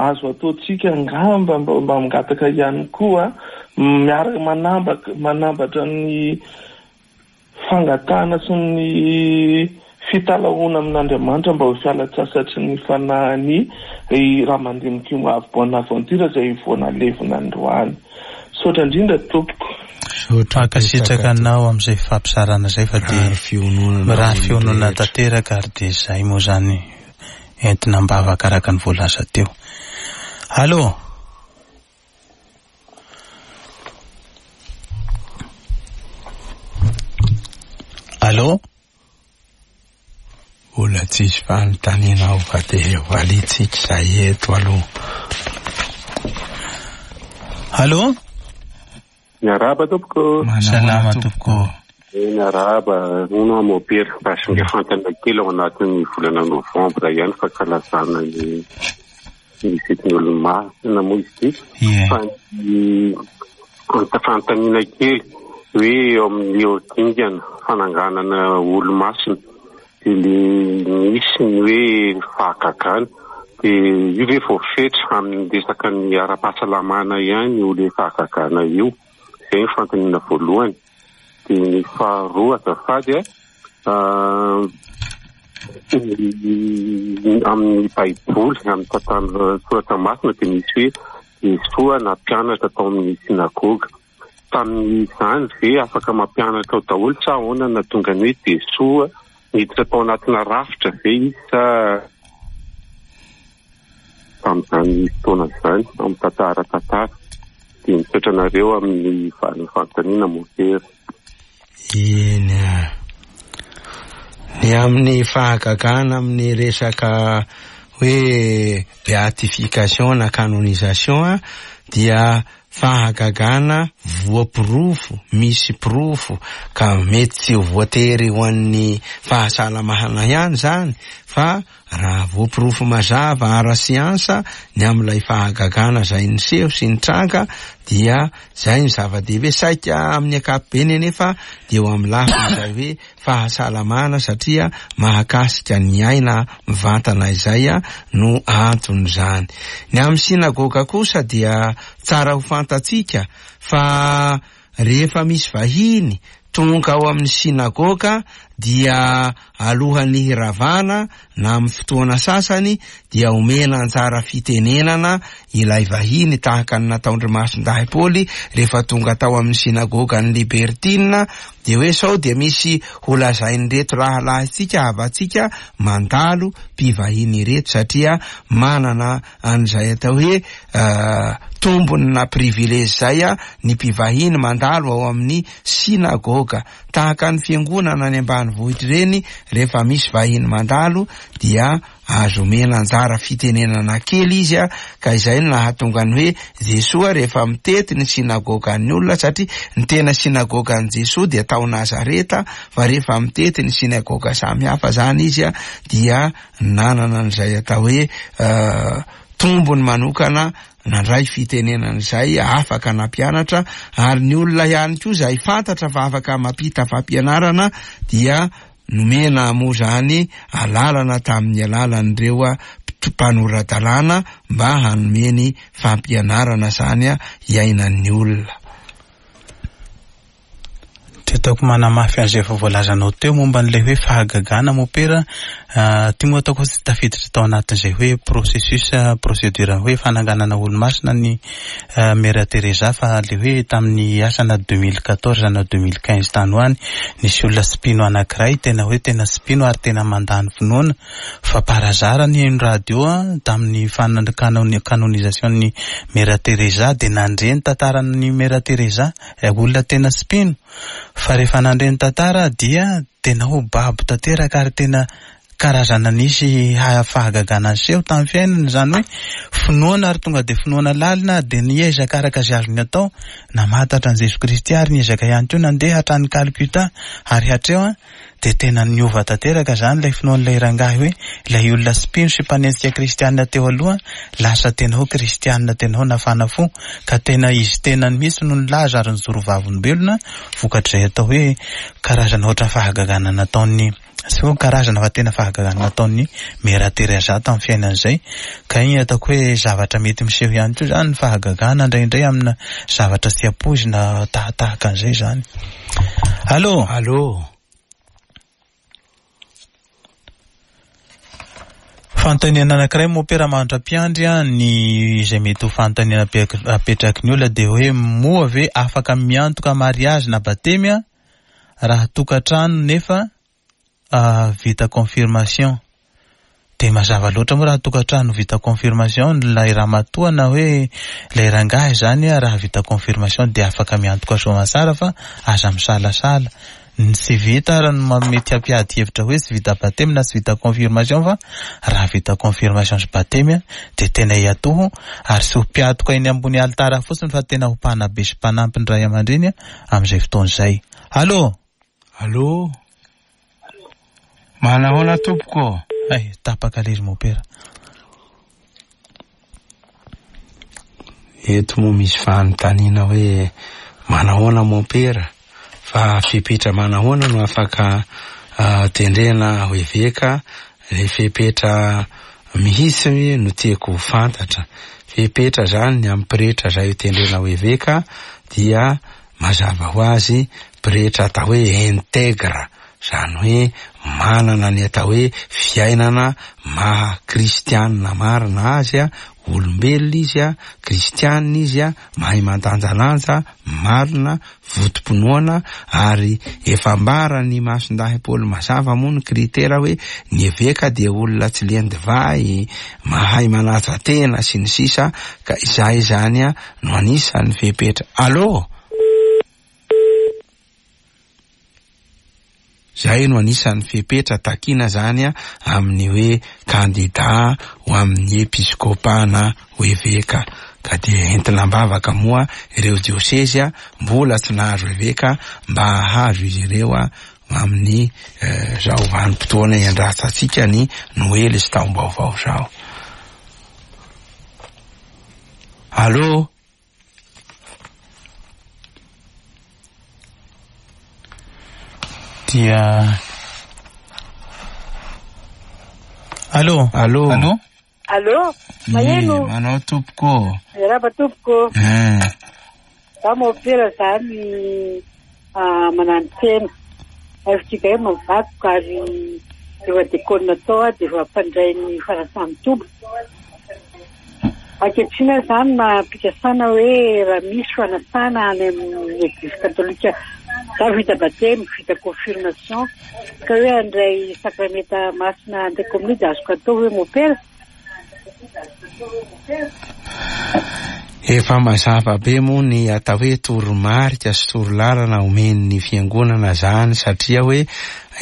azo ataontsika angamba mba mangataka ihany koa miaraka manambaka manambatra ny fangatahana sy ny fitalahoana amin'Andriamanitra mba ho fialan-tsasatry ny fanahin'i Ramandimikimoavy Bonaventure izay vao nalevina androany. Misaotra indrindra tompoko. Mankasitraka anao amin'izay fampizarana izay fa dia mirary fiononana tanteraka ary dia izay moa izany entina am-bavaka araka ny voalaza teo. Allô? Allô? Mbola tsisy fanontaniana ao fa dia valiantsika izay eto aloha. Allô? Miarahaba tompoko. Salama tompoko. Miarahaba, hono aho mopera. Mba singa fantana kely ao anatin'ny volana novambra ihany fankalazana ny ny fetin'ny olomasina moa izy ity. Fa ny fanontaniana kely hoe eo amin'ny eo dingana fananganana olomasina dia le misy ny hoe fahagagana dia io ve voafetra amin'ny resaka ny ara-pahasalamana ihany io le fahagagana io? Izay ny fanontaniana voalohany. Dia ny faharoa azafady a, amin'ny baiboly, amin'ny tantara soratra masina dia misy hoe Jesoa nampianatra tao amin'ny synagoga. Tamin'izany ve afaka mampianatra ao daholo sa ahoana no nahatonga ny hoe Jesoa niditra tao anatina rafitra ve izy sa tamin'izany fotoana izany amin'ny tantara tantara? Dia misaotra anareo amin'ny valin'ny fanontaniana mompera. Eny a. Ny amin'ny fahagagana amin'ny resaka hoe beatification na canonisation dia fahagagana voaporofo, misy porofo ka mety tsy ho voatery ho an'ny fahasalamana ihany izany. Fa raha voaporofo mazava ara-siansa ny amin'ilay fahagagana izay niseho sy nitranga dia izay no zava-dehibe. Saika amin'ny ankapobeny anefa dia eo amin'ny lafiny izay hoe fahasalamana satria mahakasika ny aina mivantana izay no anton'izany. Ny amin'ny synagoga kosa dia tsara ho fantatsika fa rehefa misy vahiny tonga ao amin'ny synagoga dia alohan'ny hiravana na amin'ny fotoana sasany dia omena anjara fitenenana ilay vahiny tahaka ny nataon-dry Masindahy Paoly rehefa tonga tao amin'ny synagogan'ny Libertina dia hoe sao dia misy holazain'ireto rahalahintsika havantsika mandalo mpivahiny ireto satria manana an'izay atao hoe tombony na privilège izay ny mpivahiny mandalo ao amin'ny synagoga. Tahaka ny fiangonana any ambanivohitra ireny, rehefa misy vahiny mandalo dia azo omena anjara fitenenana kely izy, ka izay no nahatonga ny hoe Jesoa rehefa mitety ny synagogan'ny olona, satria ny tena synagogan'i Jesoa dia tao Nazareta, fa rehefa mitety ny synagoga samihafa izany izy dia nanana an'izay atao hoe tombony manokana nandray fitenenana izay afaka nampianatra, ary ny olona ihany koa izay fantatra fa afaka mampita fampianarana dia nomena moa izany alalana tamin'ny alalan'ireo mpanora-dalàna mba hanome ny fampianarana izany hiainan'ny olona. Dia ataoko manamafy an'izay efa voalazanao teo momba an'ilay hoe fahagagana mopera, ity moa ataoko hoe tsy tafiditra tao anatin'izay hoe processus, procédure hoe fananganana olomasina ny Mère Teresa fa ilay hoe tamin'ny asa na 2014 na 2015 tany ho any, nisy olona tsy mpino anankiray tena hoe tena tsy mpino ary tena mandà ny finoana fa par hasard nihaino radio tamin'ny canonisation-n'ny Mère Teresa dia nandre ny tantaran'ny Mère Teresa. Ilay olona tena tsy mpino fa rehefa nandre ny tantara dia tena ho babo tanteraka ary tena karazana nisy fahagagana niseho tamin'ny fiainany, izany hoe finoana ary tonga dia finoana lalina dia niezaka araka izay azony atao namantatra an'i Jesoa Kristy ary niezaka ihany koa nandeha hatrany Calcutta ary hatreo Dia tena niova tanteraka izany ilay finoan'ilay rangahy hoe ilay olona tsy mpino sy mpanenjika kristianina teo aloha lasa tena ho kristianina tena ho nafana fo ka tena izy tenany mihitsy no nilaza ary nijoro vavolombelona vokatr'izay atao hoe karazana ohatran'ny fahagagana nataon'ny tsy hoe karazana fa tena fahagagana nataon'ny Mère Teresa tamin'ny fiainany izay ka iny ataoko hoe zavatra mety miseho ihany koa izany ny fahagagana indraindray amina zavatra tsy ampoizina tahatahaka an'izay izany. Allô? Allô? Fanontaniana anankiray mompera mandra-piandry ny izay mety ho fanontaniana apetraky ny olona dia hoe moa ve afaka miantoka mariazy na batemy raha tokantrano nefa vita confirmation. Dia mazava loatra moa raha tokantrano vita confirmation ilay ramatoa na hoe ilay rangahy izany raha vita confirmation dia afaka miantoka soamatsara fa aza misalasala. Ny tsy vita ary no mety hampiady hevitra hoe tsy vita batemy na tsy vita confirmation fa raha vita confirmation sy batemy dia tena hiatoho ary tsy ho mpiatoka eny ambony alitara fotsiny fa tena ho mpanabe sy mpanampy ny ray aman-dreny amin'izay fotoana izay. Allô? Allô? Manahoana tompoko ô? Hay, tapaka lery mopera. Eto moa misy fanontaniana hoe manahoana mompera fa fepetra manahoana no afaka ah, tendrena ho eveka le fepetra mihitsy no tiako ho fantatra. Fepetra zany ny amin'ny pretra zay ho tendrena ho eveka dia Mazava ho azy, pretra atao hoe intègre, izany hoe manana ny atao hoe fiainana maha kristianina marina azy, olombelona izy, kristianina izy, mahay mandanjalanja, marina, votom-pinoana, ary efa ambaran'i Masindahy Paoly mazava moa ny kritera hoe ny eveka dia olona tsy lian-divay, mahay manaja tena, sy ny sisa, ka izay izany no anisan'ny fepetra. Allô? Zay no anisan'ny fepetra takina zany amin'ny hoe kandida ho amin'ny episkopa na ho eveka. Ka dia entina am-bavaka moa ireo diosezy mbola tsy nahazo eveka mba hahazo izy ireo. amin'ny zao vanim-potoana iandrasantsika ny Noely sy taom-baovao zao. Allô? Dia Allô? Allô? Allô? Allô? Maheno? Ie, manao tompoko. Miarahaba tompoko. Eh. Za mopera zany mananotena. FJKM mivadiko ary efa dekôna tao aho dia efa mpandray ny fanasan'ny Tompo. Ankehitriny aho izany mampikasana hoe raha misy fanasana any amin'ny eglizy katolika, za vita batemy, vita confirmation, ka hoe handray sakramenta masina handray komonio dia azoko atao ve mopera? Efa mazava be moa ny atao hoe toromarika sy torolalana omen'ny fiangonana zany satria hoe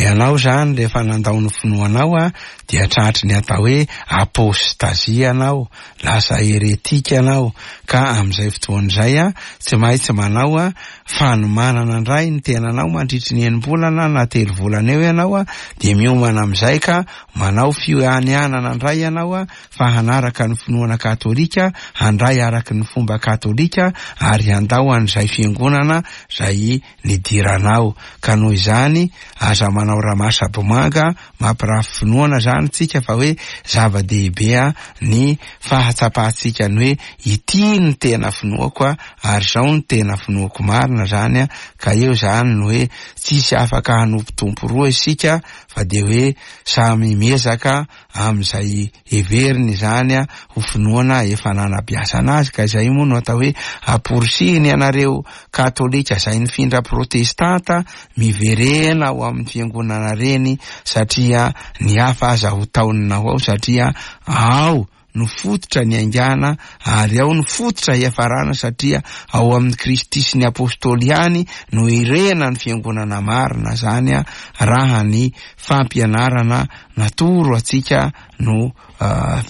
ianao zany rehefa nandao ny finoanao a dia tratry ny atao hoe apostazia ianao, lasa heretika ianao ka amin'izay fotoana izay a tsy maintsy manao a fanomanana indray ny tenanao mandritry ny enim-bolana na telo volana eo ianao a dia miomana amin'izay ka Manao fianianana indray ianao fa hanaraka ny finoana katolika, handray araka ny fomba katolika ary handao an'izay fiangonana izay nidiranao. Ka noho izany, aza manao ramasabomanga mampirafy finoana izany tsika fa hoe zava-dehibe ny fahatsapantsika ny hoe ity no tena finoako ary izao no tena finoako marina izany ka eo izany no hoe tsisy afaka hanompo tompo roa isika fa dia hoe samy miezaka amin'izay heveriny izany ho finoana efa nanabeazana azy, ka izay moa no atao hoe amporisihiny ianareo katolika izay nifindra protestanta miverena ao amin'ny fiangonana reny satria ny hafa aza ho taonina ho ao satria ao no fototra niaingàna ary ao no fototra hiafarana satria ao amin'i Kristy sy ny Apostoly ihany no irena ny Fiangonana marina zany raha ny fampianarana natoro antsika no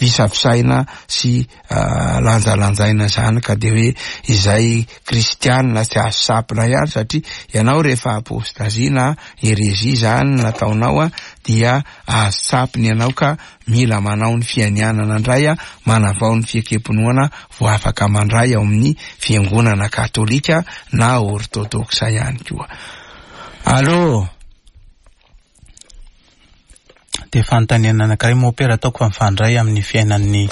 visavisaina sy lanjalanjaina zany ka de hoe izay kristianina tsy azo sampina ihany satria ianao rehefa apostazia na herezia zany nataonao dia azo sampina ianao ka Mila manao ny fianianana indray manavao ny fiekem-pinoana vao afaka mandray ao amin'ny fiangonana katolika na ortodoksa ihany koa. Allô? Dia fanontaniana anankiray mompera ataoko fa mifandray amin'ny fiainan'ny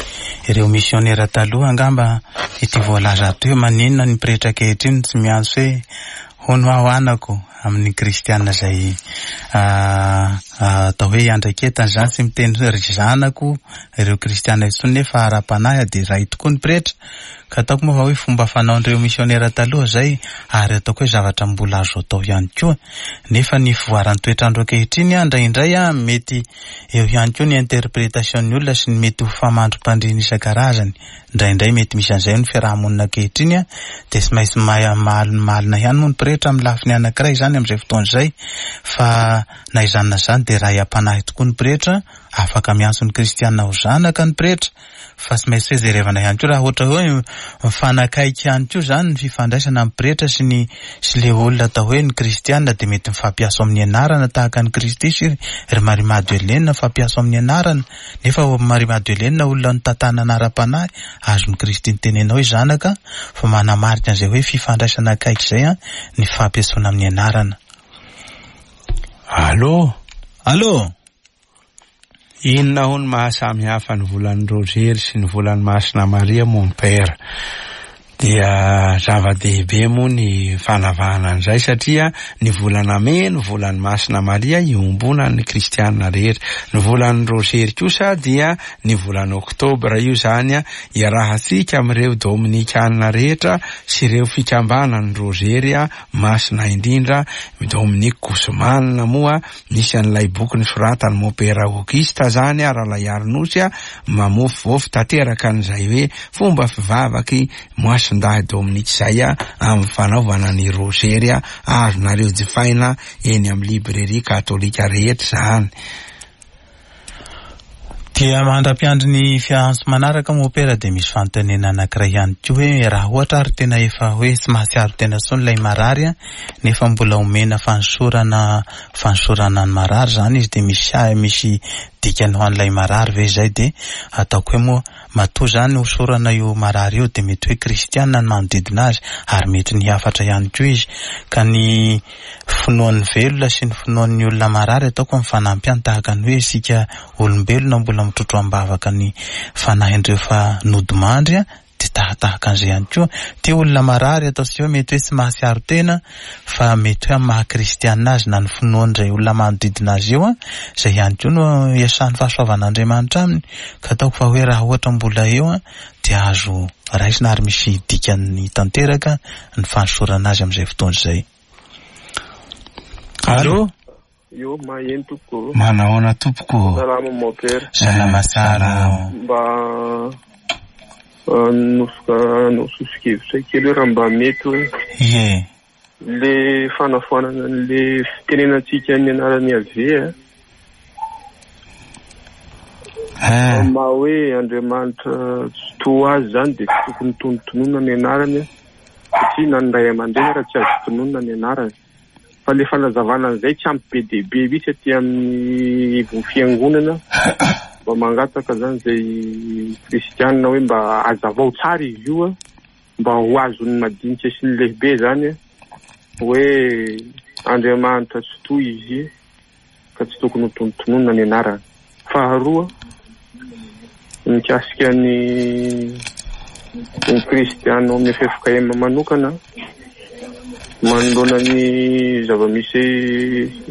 ireo misionera taloha angamba ity voalaza ato hoe maninona ny pretra ankehitriny tsy miantso hoe hono aho anako amin'ny kristiana izay atao hoe iandraiketana izany, tsy miteny hoe ry zanako ireo kristiana intsony nefa ara-panahy dia ray tokoa ny pretra, ka ataoko moa fa hoe fomba fanaon'ireo misionera taloha izay ary ataoko hoe zavatra mbola azo atao ihany koa, nefa ny fivoaran'ny toetr'andro ankehitriny indraindray mety eo ihany koa ny interpretation-ny olona sy ny mety ho famandrim-pandriana isan-karazany. Indraindray mety misy an'izay ny fiaraha-monina ankehitriny dia tsy maintsy malina ihany moa ny pretra amin'ny lafiny anankiray izany amin'izay fotoana izay fa na izany na izany dia ray am-panahy tokoa ny pretra, afaka miantso ny kristiana ho zanaka ny pretra fa tsy maintsy hoe jerevana ihany koa raha ohatra hoe mifanakaiky ihany koa izany ny fifandraisana amin'ny pretra sy ny sy le olona atao hoe ny kristiana dia mety mifampiaso amin'ny anarana tahaka an'i Kristy sy ry Maria Madeleine mifampiaso amin'ny anarana Nefa ao amin'i Maria Madelena olona notantanana ara-panahy, azon'i Kristy nitenena hoe zanaka, fa manamarika an'izay hoe fifandraisana akaiky izay ny fampiantsoana amin'ny anarana. Allô? Allô? Inona hono maha samy hafa ny volan'i Rozery sy ny volan'i Masina Maria mon père? Dia zava-dehibe moa ny fanavahana an'izay satria ny volana mey no volan'i Masina Maria iombonan'ny kristiana rehetra. Ny volan'ny Rozery kosa dia ny volana oktobra io izany iarahantsika amin'ireo dominikana rehetra sy ireo fikambanan'ny Rozery masina indrindra, Dominique Guzman moa Misy an'ilay boky nosoratan'i Mopera Auguste zany Ralaiarinosy mamofovoafo tanteraka an'izay hoe fomba fivavaky Moasindahy Dominique izay amin'ny fanaovana ny Rozery azonareo jifaina eny amin'ny librairie katolika rehetra izany. Dia mandra-piandry ny fiantso manaraka moa Pera dia misy fanontaniana anankiray ihany koa hoe raha ohatra ary tena efa hoe tsy mahatsiaro tena intsony ilay marary an, nefa mbola omena fanosorana fanosorana ny marary izany izy dia misy misy dikany ho an'ilay marary ve izay dia ataoko hoe moa matoa izany hosorana io marary io dia mety hoe kristiana ny manodidina azy ary mety ny hafatra ihany koa izy ka ny finoan'ny velona sy ny finoan'ny olona marary ataoko mifanampy ihany tahaka ny hoe isika olombelona mbola mitrotro am-bavaka ny fanahin'ireo efa nodimandry dia tahatahaka an'izay ihany koa. Ity olona marary ataontsika hoe mety hoe tsy mahatsiaro tena fa mety hoe amin'ny maha kristianina azy na ny finoan'izay olona manodidina azy eo izay ihany koa no iasan'ny fahasoavan'Andriamanitra aminy ka ataoko fa hoe raha ohatra mbola eo dia azo raisina ary misy dikany tanteraka ny fanosorana azy amin'izay fotoana izay. Allo? Io maheno tompoko. Manahoana tompoko. Salama mon père. Salama tsara. Mba nosoka soso-kevitra kely hoe raha mba mety hoe. Ie. Le fanafoanana an'le fitenenantsika ny anaran'i Yaveh a. Eh. Maha hoe Andriamanitra tsy toa azy zany dia tsy tokony tonontononina ny anarany a. Satria na ny ray aman-dreny ara tsy azo tononina ny anarany. Fa le fanazavana an'izay tsy ampy be dia be mihitsy aty amin'ny ivon'ny fiangonana. Mba mangataka zany izay kristianina hoe mba hazavao tsara izy io a, mba ho azon'ny madinika sy ny lehibe zany a, hoe Andriamanitra tsy toa izy ka tsy tokony ho tonontononina ny anarany. Faharoa, mikasika ny ny kristiana ao amin'ny ffkm manokana, manoloana ny zava-misy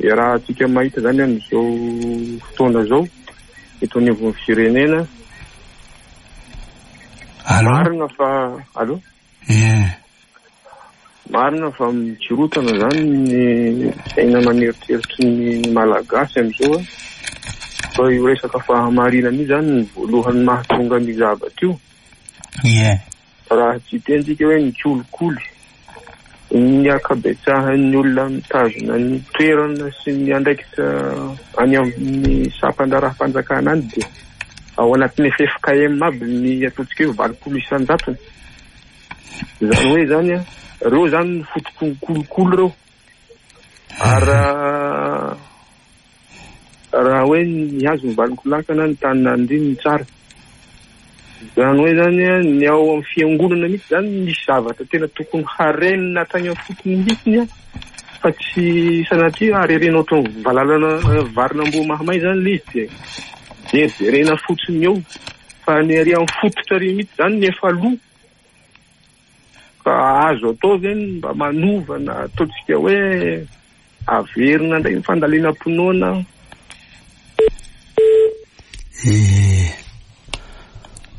iarahantsika mahita izany amin'izao fotoana izao eto anivon'ny firenena. Allô? Marina fa allô? Ie. Marina fa mikorontana izany ny saina aman'eritreritry ny Malagasy amin'izao a. Fa io resaka fahamarinana io izany no voalohany mahatonga an'io zavatra io. Ie. Raha tsy hiteny tsika hoe ny kolikoly, ny ankabetsahan'ny olona mitazona ny toerana sy ny andraikitra any amin'ny sampan-draharaham-panjakana any dia ao anatin'ny ffkm aby ny ataontsika hoe 80 isan-jatony. Izany hoe izany an, ireo izany no fototry ny kolikoly ireo. Ary raha raha hoe ny hazo ny valin-kolakana ny tany nandriny ny tsara. Izany hoe izany an, ny ao amin'ny fiangonana mihitsy izany misy zavatra tena tokony harenina hatrany amin'ny fotony mihitsy an, fa tsy sanatria harerena ohatran'ny valalana varin'amboa mahamay izany ilay izy dia jerijerena fotsiny eo. Fa ny ary amin'ny fototra ary mihitsy izany ny efa lo. Ka azo atao ve ny mba manova na ataontsika hoe averina indray ny fandalinam-pinoana? Eh,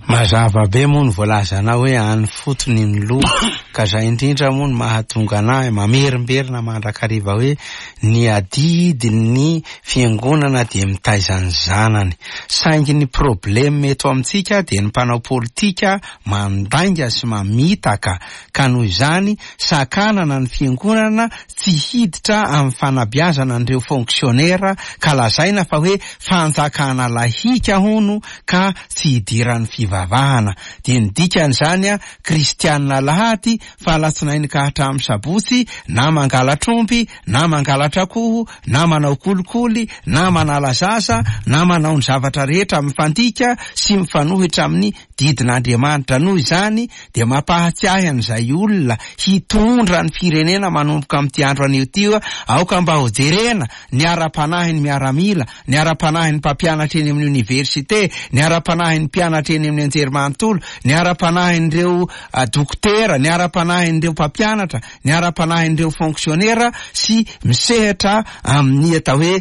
mazava be moa ny voalazanao hoe any fotony ny loha, ka zay indrindra moa no mahatonga anahy mamerimberina mandrakariva hoe ny adidin'ny fiangonana dia mitaiza ny zanany. Saingy ny problème eto amintsika dia ny mpanao politika mandainga sy mamitaka ka noho izany sakanana ny fiangonana tsy hiditra amin'ny fanabeazana an'ireo fonctionnaire ka lazaina fa hoe fanjakana lahika hono ka tsy hidiran'ny fivavahana. Dia ny dikan'izany kristianina alahady fa alatsinainy ka hatramin'ny sabotsy na mangalatr'omby na mangalatra akoho na manao kolikoly na manala zaza na manao ny zavatra rehetra mifandika sy mifanohitra amin'ny didin'Andriamanitra. Noho izany dia mampahatsiahy an'izay olona hitondra ny firenena manomboka amin'ity andro anio ity hoe aoka mba hojerena ny ara-panahin'ny miaramila, ny ara-panahin'ny mpampianatra eny amin'ny oniversite, ny ara-panahin'ny mpianatra eny amin'ny anjerimanontolo, ny ara-panahin'ireo dokotera, ny ara-panahin'ireo mpampianatra, ny ara-panahin'ireo fonksionera sy misehatra amin'ny atao hoe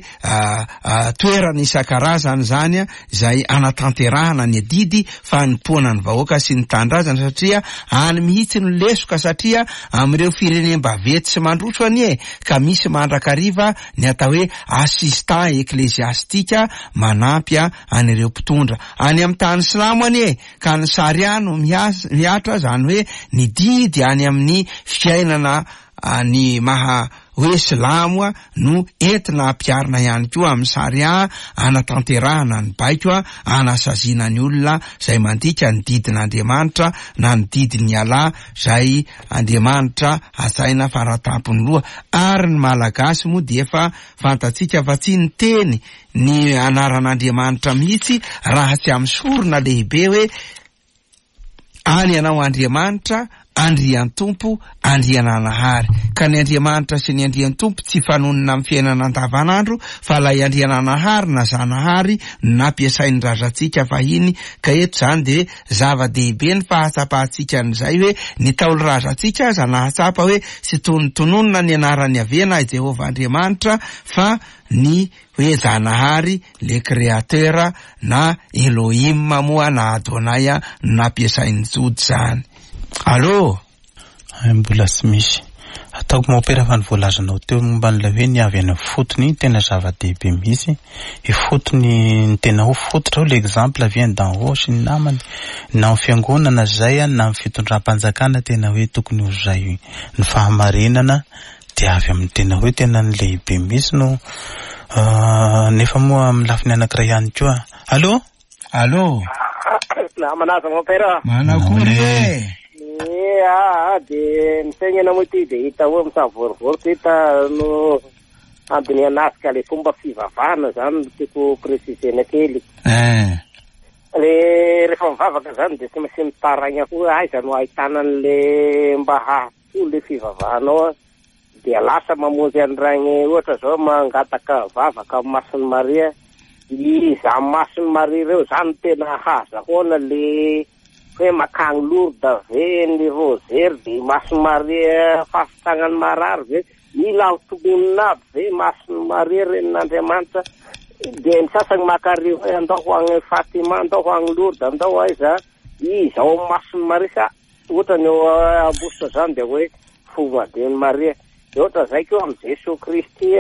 toerana isan-karazany izany izay anatanterahana ny adidy fanompoana ny vahoaka sy ny tanindrazana satria any mihitsy no lesoka satria amin'ireo firenem-baventy sy mandroso anie ka misy mandrakariva ny atao hoe assistant ecclésiastique manampy an'ireo mpitondra. Any amin'ny tany silamo anie ka ny charia no mihatra izany hoe ny didy any amin'ny fiainana ny maha. hoe silamo no entina ampiharina ihany koa amin'ny Sharia anatanterahana ny baiko anasaziana ny olona izay mandika ny didin'Andriamanitra na ny didin'i Allah izay Andriamanitra hajaina faratampony loha. Ary ny Malagasy moa dia efa fantatsika fa tsy niteny ny anaran'Andriamanitra mihitsy raha tsy amin'ny sorona lehibe hoe Any ianao Andriamanitra, Andriantompo, Andriananahary. Ka ny Andriamanitra sy ny Andriantompo tsy fanonona amin'ny fiainana andavanandro fa ilay Andriananahary na Zanahary no nampiasain'ny razantsika fahiny ka eto izany dia zava-dehibe ny fahatsapantsika an'izay hoe ny Ntaolo razantsika aza nahatsapa hoe tsy tonontononina ny anaran'i Yaveh na i Jehovah Andriamanitra fa ny hoe Zanahary, le Créateur, na Elohim moa na Adonai no nampiasain'ny Jody izany. Allô? Hay mbola tsy misy. Ataoko mompera fa ny voalazanao teo momba an'ilay hoe ny avy any ifotony iny tena zava-dehibe mihitsy. Ifotony ny tena ho fototra ao l'exemple vient d'en haut sy ny namany. Na amin'ny fiangonana izay na amin'ny fitondram-panjakana tena hoe tokony ho izay ny fahamarinana dia avy amin'ny tena hoe tena ny lehibe mihitsy no nefa moa amin'ny lafiny anankiray ihany koa. Allô? Allô? Na manaza mon père. Manakory e? Eh, ah, de misaigna moa ty de hita hoe misavorovoro ty hita no andinihana azy ka le fomba fivavahana zany no tiako préciser-na kely. Eh. Le rehefa mivavaka zany de tsy maintsy mitaraigna koa aiza no ahitana an'le mba hahasoa le fivavahanao a. Dia lasa mamonjy an'ireny ohatra zao mangataka vavaka amin'ny Masin'i Maria, izany Masin'i Maria ireo zany tena hahazahoana le hoe makany Lourdes ve ny Rosaire de Masin'i Maria fahasitranan'ny marary ve, mila ho tononina aby ve Masin'i Maria renin'Andriamanitra, dia ny sasany maka ary hoe andao ho any Fatima, andao ho any Lourdes, andao aiza, iza ao amin'ny Masin'i Maria sa Ohatra ny eo Ambositra zany dia hoe Fomadin'i Maria. Dia ohatra zay koa amin'i Jesoa Kristy,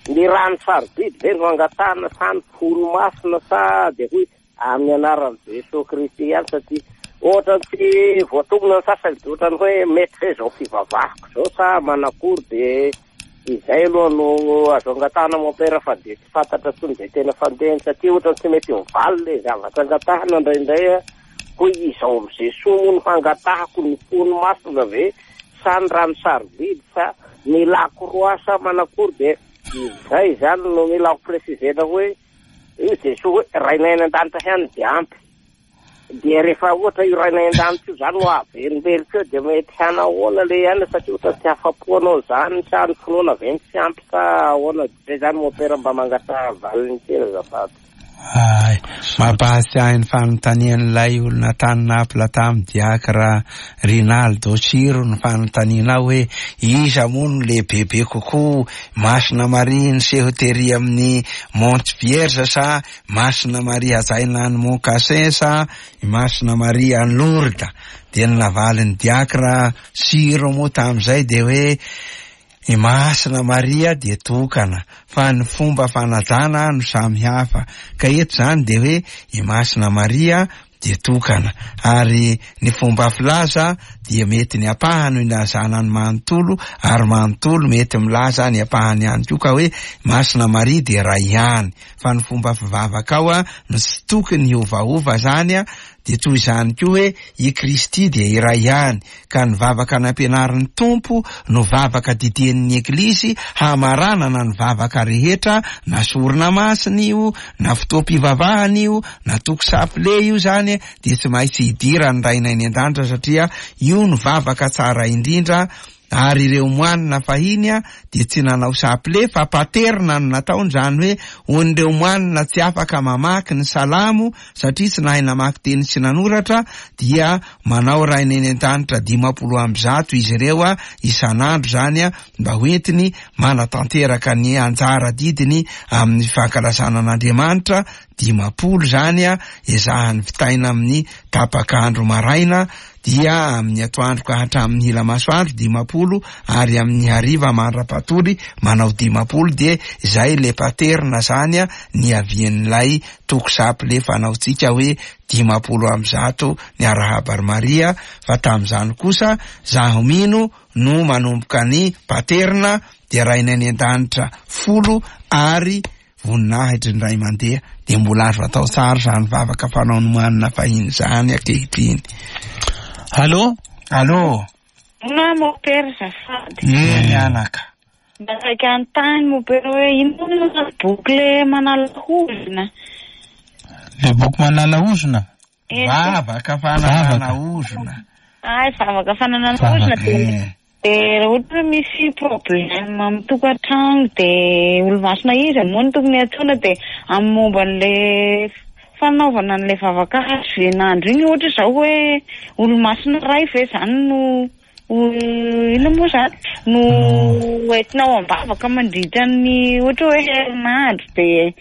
ny rano sarobidy ve no angatahana sa ny folo masina sa dia hoy amin'ny anaran'i Jesoa Kristy ihany satria ohatra ny tsy voatonona ny sasany dia ohatra ny hoe mety ve izao fivavahako izao sa manakory dia izay aloha no azo angatahana mon père fa dia tsy fantatra intsony izay tena fandehany satria ohatra ny tsy mety mivaly ilay zavatra angatahana indraindray a. Hoy izao amin'i Jesoa moa no hangatahako ny fony masina ve sa ny rano sarobidy sa ny lakroa sa manakory dia izay izany no mila ho préciser-na hoe io Jesoa hoe Rainay any an-danitra ihany dia ampy dia rehefa ohatra io Rainay an-danitra io izany no averimberiko eo dia mety hanahoana le ihany satria ohatra tsy afa-po anao izany sa ny finoana ve no tsy ampy sa ahoana izay izany mon père mba mangataha valiny kely azafady. Hay, mampahatsiahy ny fanontanian'ilay olona tany Naples tamin'i Diakra Rinaldo Ciro ny fanontanianao hoe iza moa no lehibebe kokoa, Masina Maria niseho tery amin'ny Mont Vierge sa Masina Maria hajaina any Mont Cassin sa i Masina Maria any Lourdes? Dia ny navalin'i Diakra Ciro moa tamin'izay dia hoe I Masina Maria dia tokana, fa ny fomba fanajana no samy hafa. Ka eto izany dia hoe i Masina Maria dia tokana. Ary ny fomba filaza dia mety ny ampahany no ilazana ny manontolo, ary manontolo mety milaza ny ampahany ihany koa ka hoe Masina Maria dia iray ihany. Fa ny fomba fivavaka ao no tsy tokony hiovaova izany, dia toy izany koa hoe i Kristy dia iray ihany. Ka ny vavaka nampianarin'ny Tompo no vavaka didian'ny Eglizy hamaranana ny vavaka rehetra, na sorona masina io, na fotoam-pivavahana io, na toko saple io izany dia tsy maintsy idiran'ny Rainay any an-danitra satria io no vavaka tsara indrindra ary ireo moanina fahiny dia tsy nanao saple fa paterna no nataony, izany hoe ho an'ireo moanina tsy afaka mamaky ny salamo satria tsy nahay namaky teny sy nanoratra dia manao Rainay any an-danitra 150 izy ireo isan'andro izany mba ho entiny manatanteraka ny anjara adidiny amin'ny fankalazana an'Andriamanitra, 50 izany ezahany vitaina amin'ny tapak'andro maraina dia amin'ny atoandro ka hatramin'ny hila masoandro 50 ary amin'ny hariva mandra-patory manao 50 dia izay le paterna izany niavian'ilay toko saple fanaontsika hoe 150 ny arahaba ry Maria fa tamin'izany kosa zaho mino no manomboka ny paterna. dia Rainay any an-danitra 10 ary voninahitry ny ray mandeha, dia mbola azo atao tsara izany vavaka fanao nomanina fahiny izany ankehitriny. Allô? Allô? Inona mopera azafady? Eny anaka. Mba saika hanontany mopera hoe inona no boky le manala ozona? Le boky manala ozona? Vavaka fanalana ozona. Ay, vavaka fanalana ozona dia dia raha ohatra hoe misy problème amin'ny tokantrano dia olo-masina iza moa no tokony antsoina dia amin'ny momba an'le fanaovana an'ilay vavaka hazoven'andro iny ohatra izao hoe olo-masina iray ve izany no inona moa izany no entina ao am-bavaka mandritra ny ohatra hoe herinandro dia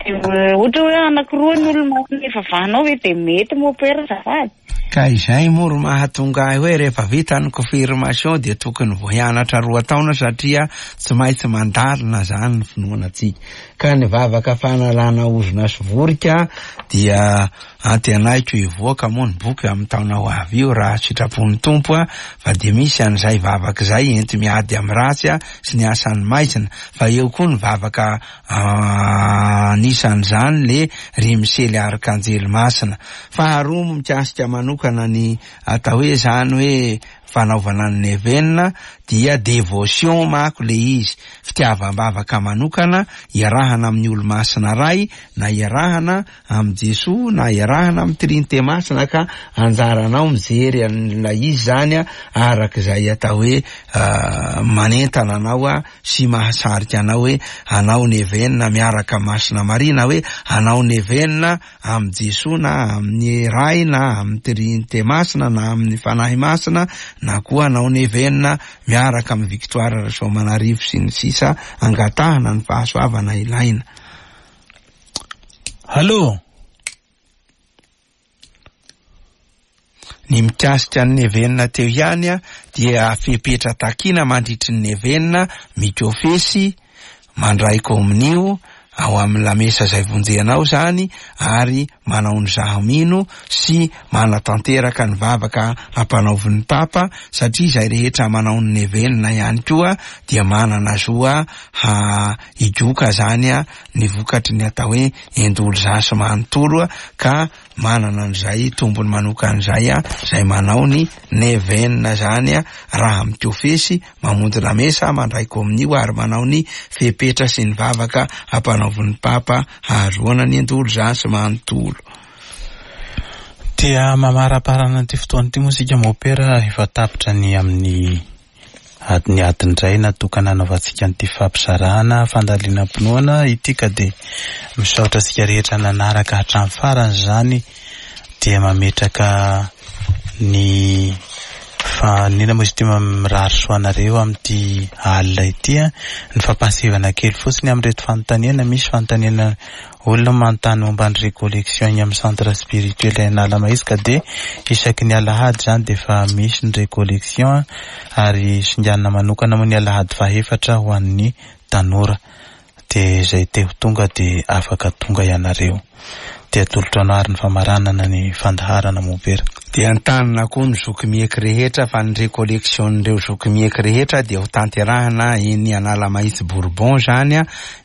dia ohatra hoe anankiroa ny olo-masina ivavahanao ve dia mety mopera azafady? Ka izay moa ro mahatonga ahy hoe rehefa vita ny confirmation dia tokony vao hianatra 2 taona satria tsy maintsy mandalina zany ny finoana antsika. Ka ny vavaka fanalana ozona sy vorika dia antenaiko hivoaka moa ny boky amin'ny taona ho avy io raha sitrapon'ny Tompo a, fa dia misy an'izay vavaka izay enti-miady amin'ny ratsy sy ny asan'ny maizina, fa eo koa ny vavaka anisan'izany le ry Misely Arkanjely Masina. Faharoa mikasika manokana ny atao hoe zany hoe fanaovana ny nevenina dia dévotion mako le izy, fitiavam-bavaka manokana iarahana amin'ny olo-masina ray na iarahana amin'i Jesoa na iarahana amin'ny Trinité Masina, ka anjaranao mijery an'ilay izy zany araka izay atao hoe manentana anao sy mahasarika anao hoe anao nevenina miaraka Masina Maria na hoe anao nevenina amin'i Jesoa na amin'ny Ray na amin'ny Trinité Masina na amin'ny Fanahy Masina na koa anao nevenina miaraka amin'ny Victoire Rasoamanarivo sy ny sisa, angatahana ny fahasoavana ilaina. Allô? Ny mikasika ny nevenina teo ihany dia fepetra takiana mandritry ny nevenina, mikofesy, mandray kominio ao amin'ny lamesa izay vonjenao izany ary manao ny zaho mino sy manatanteraka ny vavaka ampanaovin'ny Papa, satria izay rehetra manao ny nevenina ihany koa dia manana zo higoka izany ny vokatry ny atao hoe endolzasy manontolo, ka manana an'izay tombony manokana izay izay manao ny nevenina izany raha mikofesy, mamonjy lamesa, mandray kominio ary manao ny fepetra sy ny vavaka ampanaovin'ny Papa hahazoana ny endolzasy manontolo. Dia mamaraparana ity fotoana ity moa isika mopera, efa tapitra ny amin'ny adiny adiny iray natokana hanaovantsika an'ity fampizarana fandalinam-pinoana ity, ka dia misaotra antsika rehetra nanaraka hatramin'ny farany izany, dia mametraka ny fanina moa izy ity, mirary soa anareo amin'ity alina ity. Ny fampahasivana kely fotsiny amin'ireto fanontaniana, misy fanontaniana olona manontany momba ny récollection eny amin'ny centre spirituel Analamahitsy, ka dia isaky ny alahady izany dia efa misy ny récollection ary singanina manokana moa ny alahady fahaefatra ho an'ny tanora, dia izay te ho tonga dia afaka tonga ianareo. Dia atolotra anao ary ny famaranana ny fandaharana mopera. Dia antanina koa ny zoky mieky rehetra fa ny récollection-n'ireo zoky mieky rehetra dia ho tanterahina eny Analamahitsy Bourbon izany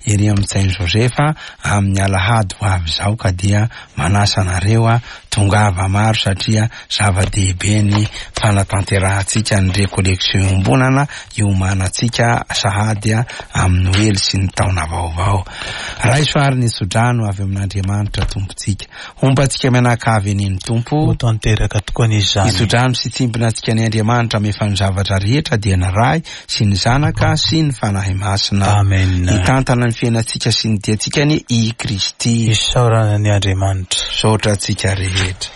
ery amin'ny Saint Joseph amin'ny alahady ho avy izao, ka dia manasa anareo tongava maro satria zava-dehibe ny fanatanterahantsika ny récollection iombonana iomanantsika sahady amin'ny Noely sy ny taona vaovao. Raiso ary ny tsodrano avy amin'Andriamanitra Tompontsika. Homba antsika mianakavy anie ny Tompo. Ho tanteraka tokoa anie izany. Ny tsodrano sy tsimbina antsika ny Andriamanitra amefa ny zavatra rehetra dia ny Ray sy ny Zanaka sy ny Fanahy Masina. Amen. Hitantana ny fiainantsika sy ny diantsika anie i Kristy. Isaorana ny Andriamanitra. Misaotra antsika rehetra.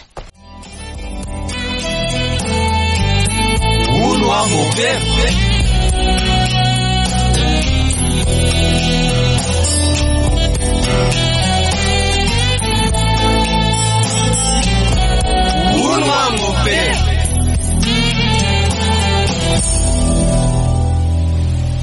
Hono aho mopera.